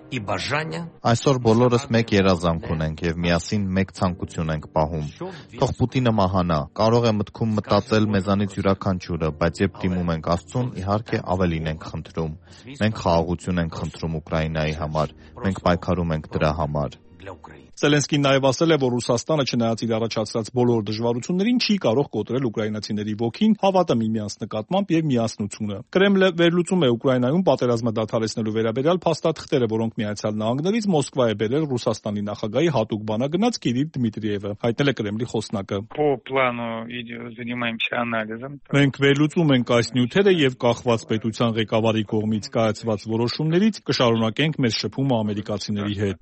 Այսօր բոլորս մեկ երազանք ունենք եւ միասին մեկ ցանկություն ենք պահում։ Թող Պուտինը մահանա։ Կարող է մտքում մտածել մեզանից յուրաքանչյուրը, բայց երբ դիմում ենք Աստծուն, իհարկե ավելին ենք խնդրում։ Մենք խաղաղություն ենք խնդրում Ուկրաինայի համար։ Մենք պայքարում ենք դրա համար։ Զելենսկին նաև ասել է, որ Ռուսաստանը չնայած իր առաջացրած բոլոր դժվարություններին չի կարող կոտրել ուկրաինացիների ոգին, հավատը միմյանց նկատմամբ եւ միասնությունը։ Կրեմլը վերլուծում է Ուկրաինայում պատերազմը դադարեցնելու վերաբերյալ փաստաթղթերը, որոնք Միացյալ Նահանգներից Մոսկվա է բերել Ռուսաստանի նախագահի հատուկ բանագնաց Կիրիլ Դմիտրիևը, հայտնել է Կրեմլի խոսնակը։ Մենք վերլուծում ենք այս նյութերը եւ կախված պետության ղեկավարի կողմից կայացված որոշումներից կշարունակենք մեր շփումը ամերիկացիների հետ։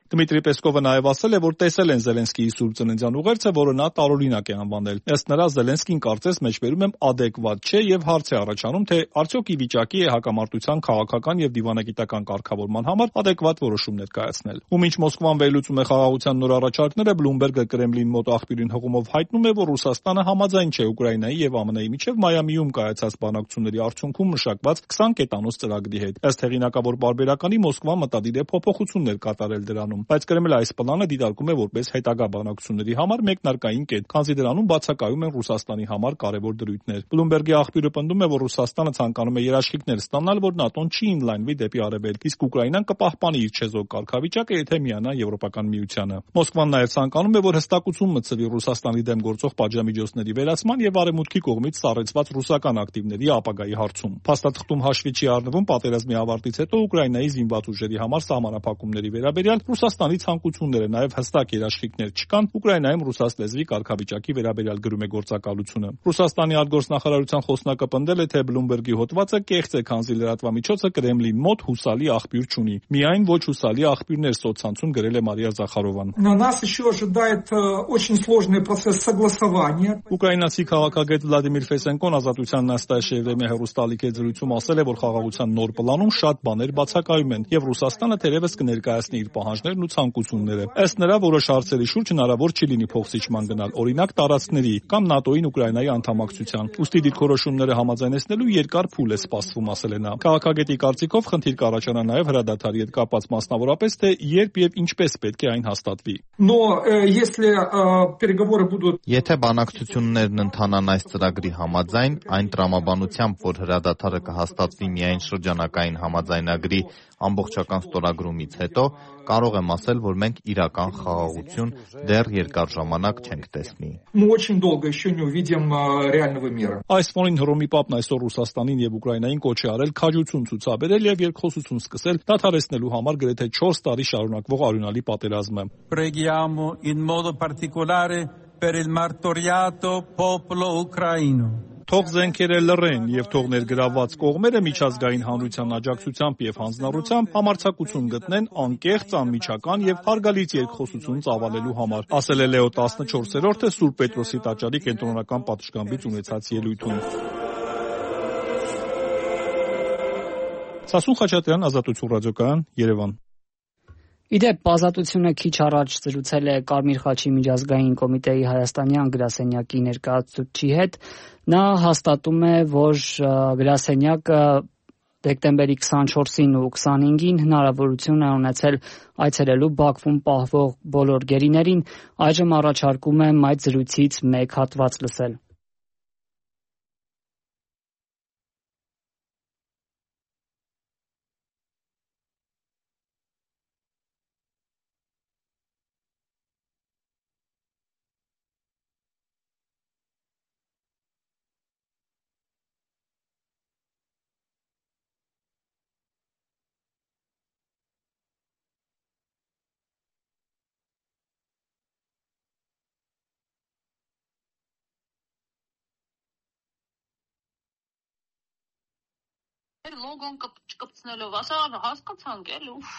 Դմիտրի Պեսկովը նաև ասել է, որ տեսել են Զելենսկիի Սուրբ Ծննդյան ուղերձը, որը նա տարօրինակ է անվանել։ Ըստ նրա, Զելենսկին կարծես մեջբերում եմ ադեկվատ չէ եւ հարց է առաջանում, թե արդյոք ի վիճակի է հակամարտության քաղաքական եւ դիվանագիտական կարգավորման համար ադեկվատ որոշումներ կայացնել։ Ու մինչ Մոսկվան վերլուծում է խաղաղության նոր առաջարկները, Բլումբերգը Կրեմլին մոտ աղբյուրին հղումով հայտնում է, որ Ռուսաստանը համաձայն չէ Ուկրաինայի եւ ԱՄՆ-ի միջև Մայամիում կայացած բանակցությունների արդյունքում մշակված 20 կետանոց ծրագրի հետ։ Ըստ հեղինակավոր պարբերականի Մոսկվան մտադիր է փոփոխություններ կատարել դրանում, բայց Կրեմլը այս պլանը դիտարկում է որպես հետագա բանակցությունների համար մեկնարկային կետ, քանզի դրանում բացակայում են Ռուսաստանի համար կարևոր դրույթներ։ Բլումբերգի աղբյուրը պնդում է, որ Ռուսաստանը ցանկանում է երաշխիքներ ստանալ, որ ՆԱՏՕ-ն չի ինլայնվի դեպի Արևելք, իսկ Ուկրաինան կպահպանի իր չեզոք կարգավիճակը, եթե միանա Եվրոպական միությանը։ Մոսկվան նաև ցանկանում է, որ հստակություն մտցվի Ռուսաստանի դեմ գործող պատժամիջոցների վերացման եւ Արևմուտքի կողմից սառեցված ռուսական ակտիվների ապագայի հարցում։ Փաստաթղթում հաշվի չի առնվում պատերազմի ավարտից հետո Ուկրաինայի զինված ուժերի համար սահմանափակումների վերաբերյալ Ռուսաստանի ցանկությունները, նաև հստակ երաշխիքներ չկան Ուկրաինայում ռուսաց լեզվի կարգավիճակի վերաբերյալ գրում է գործակալությունը։ Ռուսաստանի արտգործնախարարության խոսնակը պնդել է, թե Բլումբերգի հոդվածը կեղծ է, քանզի լրատվամիջոցը Կրեմլին մոտ հուսալի աղբյուր չունի։ Միայն ոչ հուսալի աղբյուրներ սոցցանցում գրել է Մարիա Զախարովան։ Ուկրաինացի քաղաքագետ Վլադիմիր Ֆեսենկոն Ազատության Նաստաշեվեմի հեռուստալիքի զրույցում ասել է, որ խաղաղության նոր պլանում շատ բաներ բացակայում են եւ Ռուսաստանը թերևս կներկայացնի իր պահանջներն ու ցանկությունները։ Ըստ նրա, որոշ հարցերի շուրջ հնարավոր չի լինի փոխզիջման գնալ, օրինակ տարածքների կամ ՆԱՏՕ-ին Ուկրաինայի անդամակցության։ Ուստի դիրքորոշումները համաձայնեցնելու երկար փուլ է սպասվում, ասել է նա։ Քաղաքագետի կարծիքով խնդիր կառաջանա նաև հրադադարի հետ կապված, մասնավորապես թե երբ եւ ինչպես պետք է այն հաստատվի։ Եթե բանակցություններն ընթանան այս ծրագրի համաձայն, այն տրամաբանությամբ, որ հրադադարը կհաստատվի միայն շրջանակային համաձայնագրի ամբողջական ստորագրումից հետո, կարող եմ ասել, որ մենք իրական խաղաղություն դեռ երկար ժամանակ չենք տեսնի։ Այս ֆոնին Հռոմի Պապն այսօր Ռուսաստանին եւ Ուկրաինային կոչ է արել քաջություն ցուցաբերել եւ երկխոսություն սկսել դադարեցնելու համար գրեթե 4 տարի շարունակվող արյունալի պատերազմը։ Preghiamo in modo particolare per il martoriato popolo ucraino. Թող զենքերը լռեն եւ թող ներգրավված կողմերը միջազգային հանրության աջակցությամբ եւ հանձնառությամբ համարձակություն գտնեն անկեղծ, անմիջական եւ հարգալից երկխոսություն ծավալելու համար, ասել է Լեո 14-րդը Սուրբ Պետրոսի տաճարի կենտրոնական պատշգամբից ունեցած ելույթում։ Սասուն Խաչատրյան, Ազատություն ռադիոկայան, Երևան։ Իդեպ Ազատությունը քիչ առաջ զրուցել է Կարմիր խաչի միջազգային կոմիտեի հայաստանյան գրասենյակի ներկայացուցիչի հետ։ Նա հաստատում է, որ գրասենյակը դեկտեմբերի 24-ին ու 25-ին հնարավորություն է ունեցել այցելելու Բաքվում պահվող բոլոր գերիներին, այժմ առաջարկում եմ այդ զրույցից մեկ հատված լսել։ Լոգոն կպցնելով, ասա հասկացանք էլ ուֆ։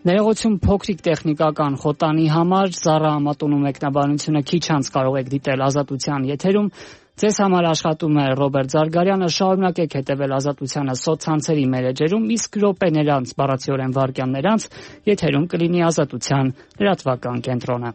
Ներողություն փոքրիկ տեխնիկական խոտանի համար Զարա Ամատունու մեկնաբանությունը քիչ անց կարող եք դիտել Ազատության եթերում։ Ձեզ համար աշխատում է Ռոբերտ Զարգարյանը, շարունակեք հետևել Ազատությանը սոցցանցերի մեր էջերում, իսկ րոպեներ անց, բառացիորեն վայրկյաններ անց, եթերում կլինի Ազատության լրատվական կենտրոնը։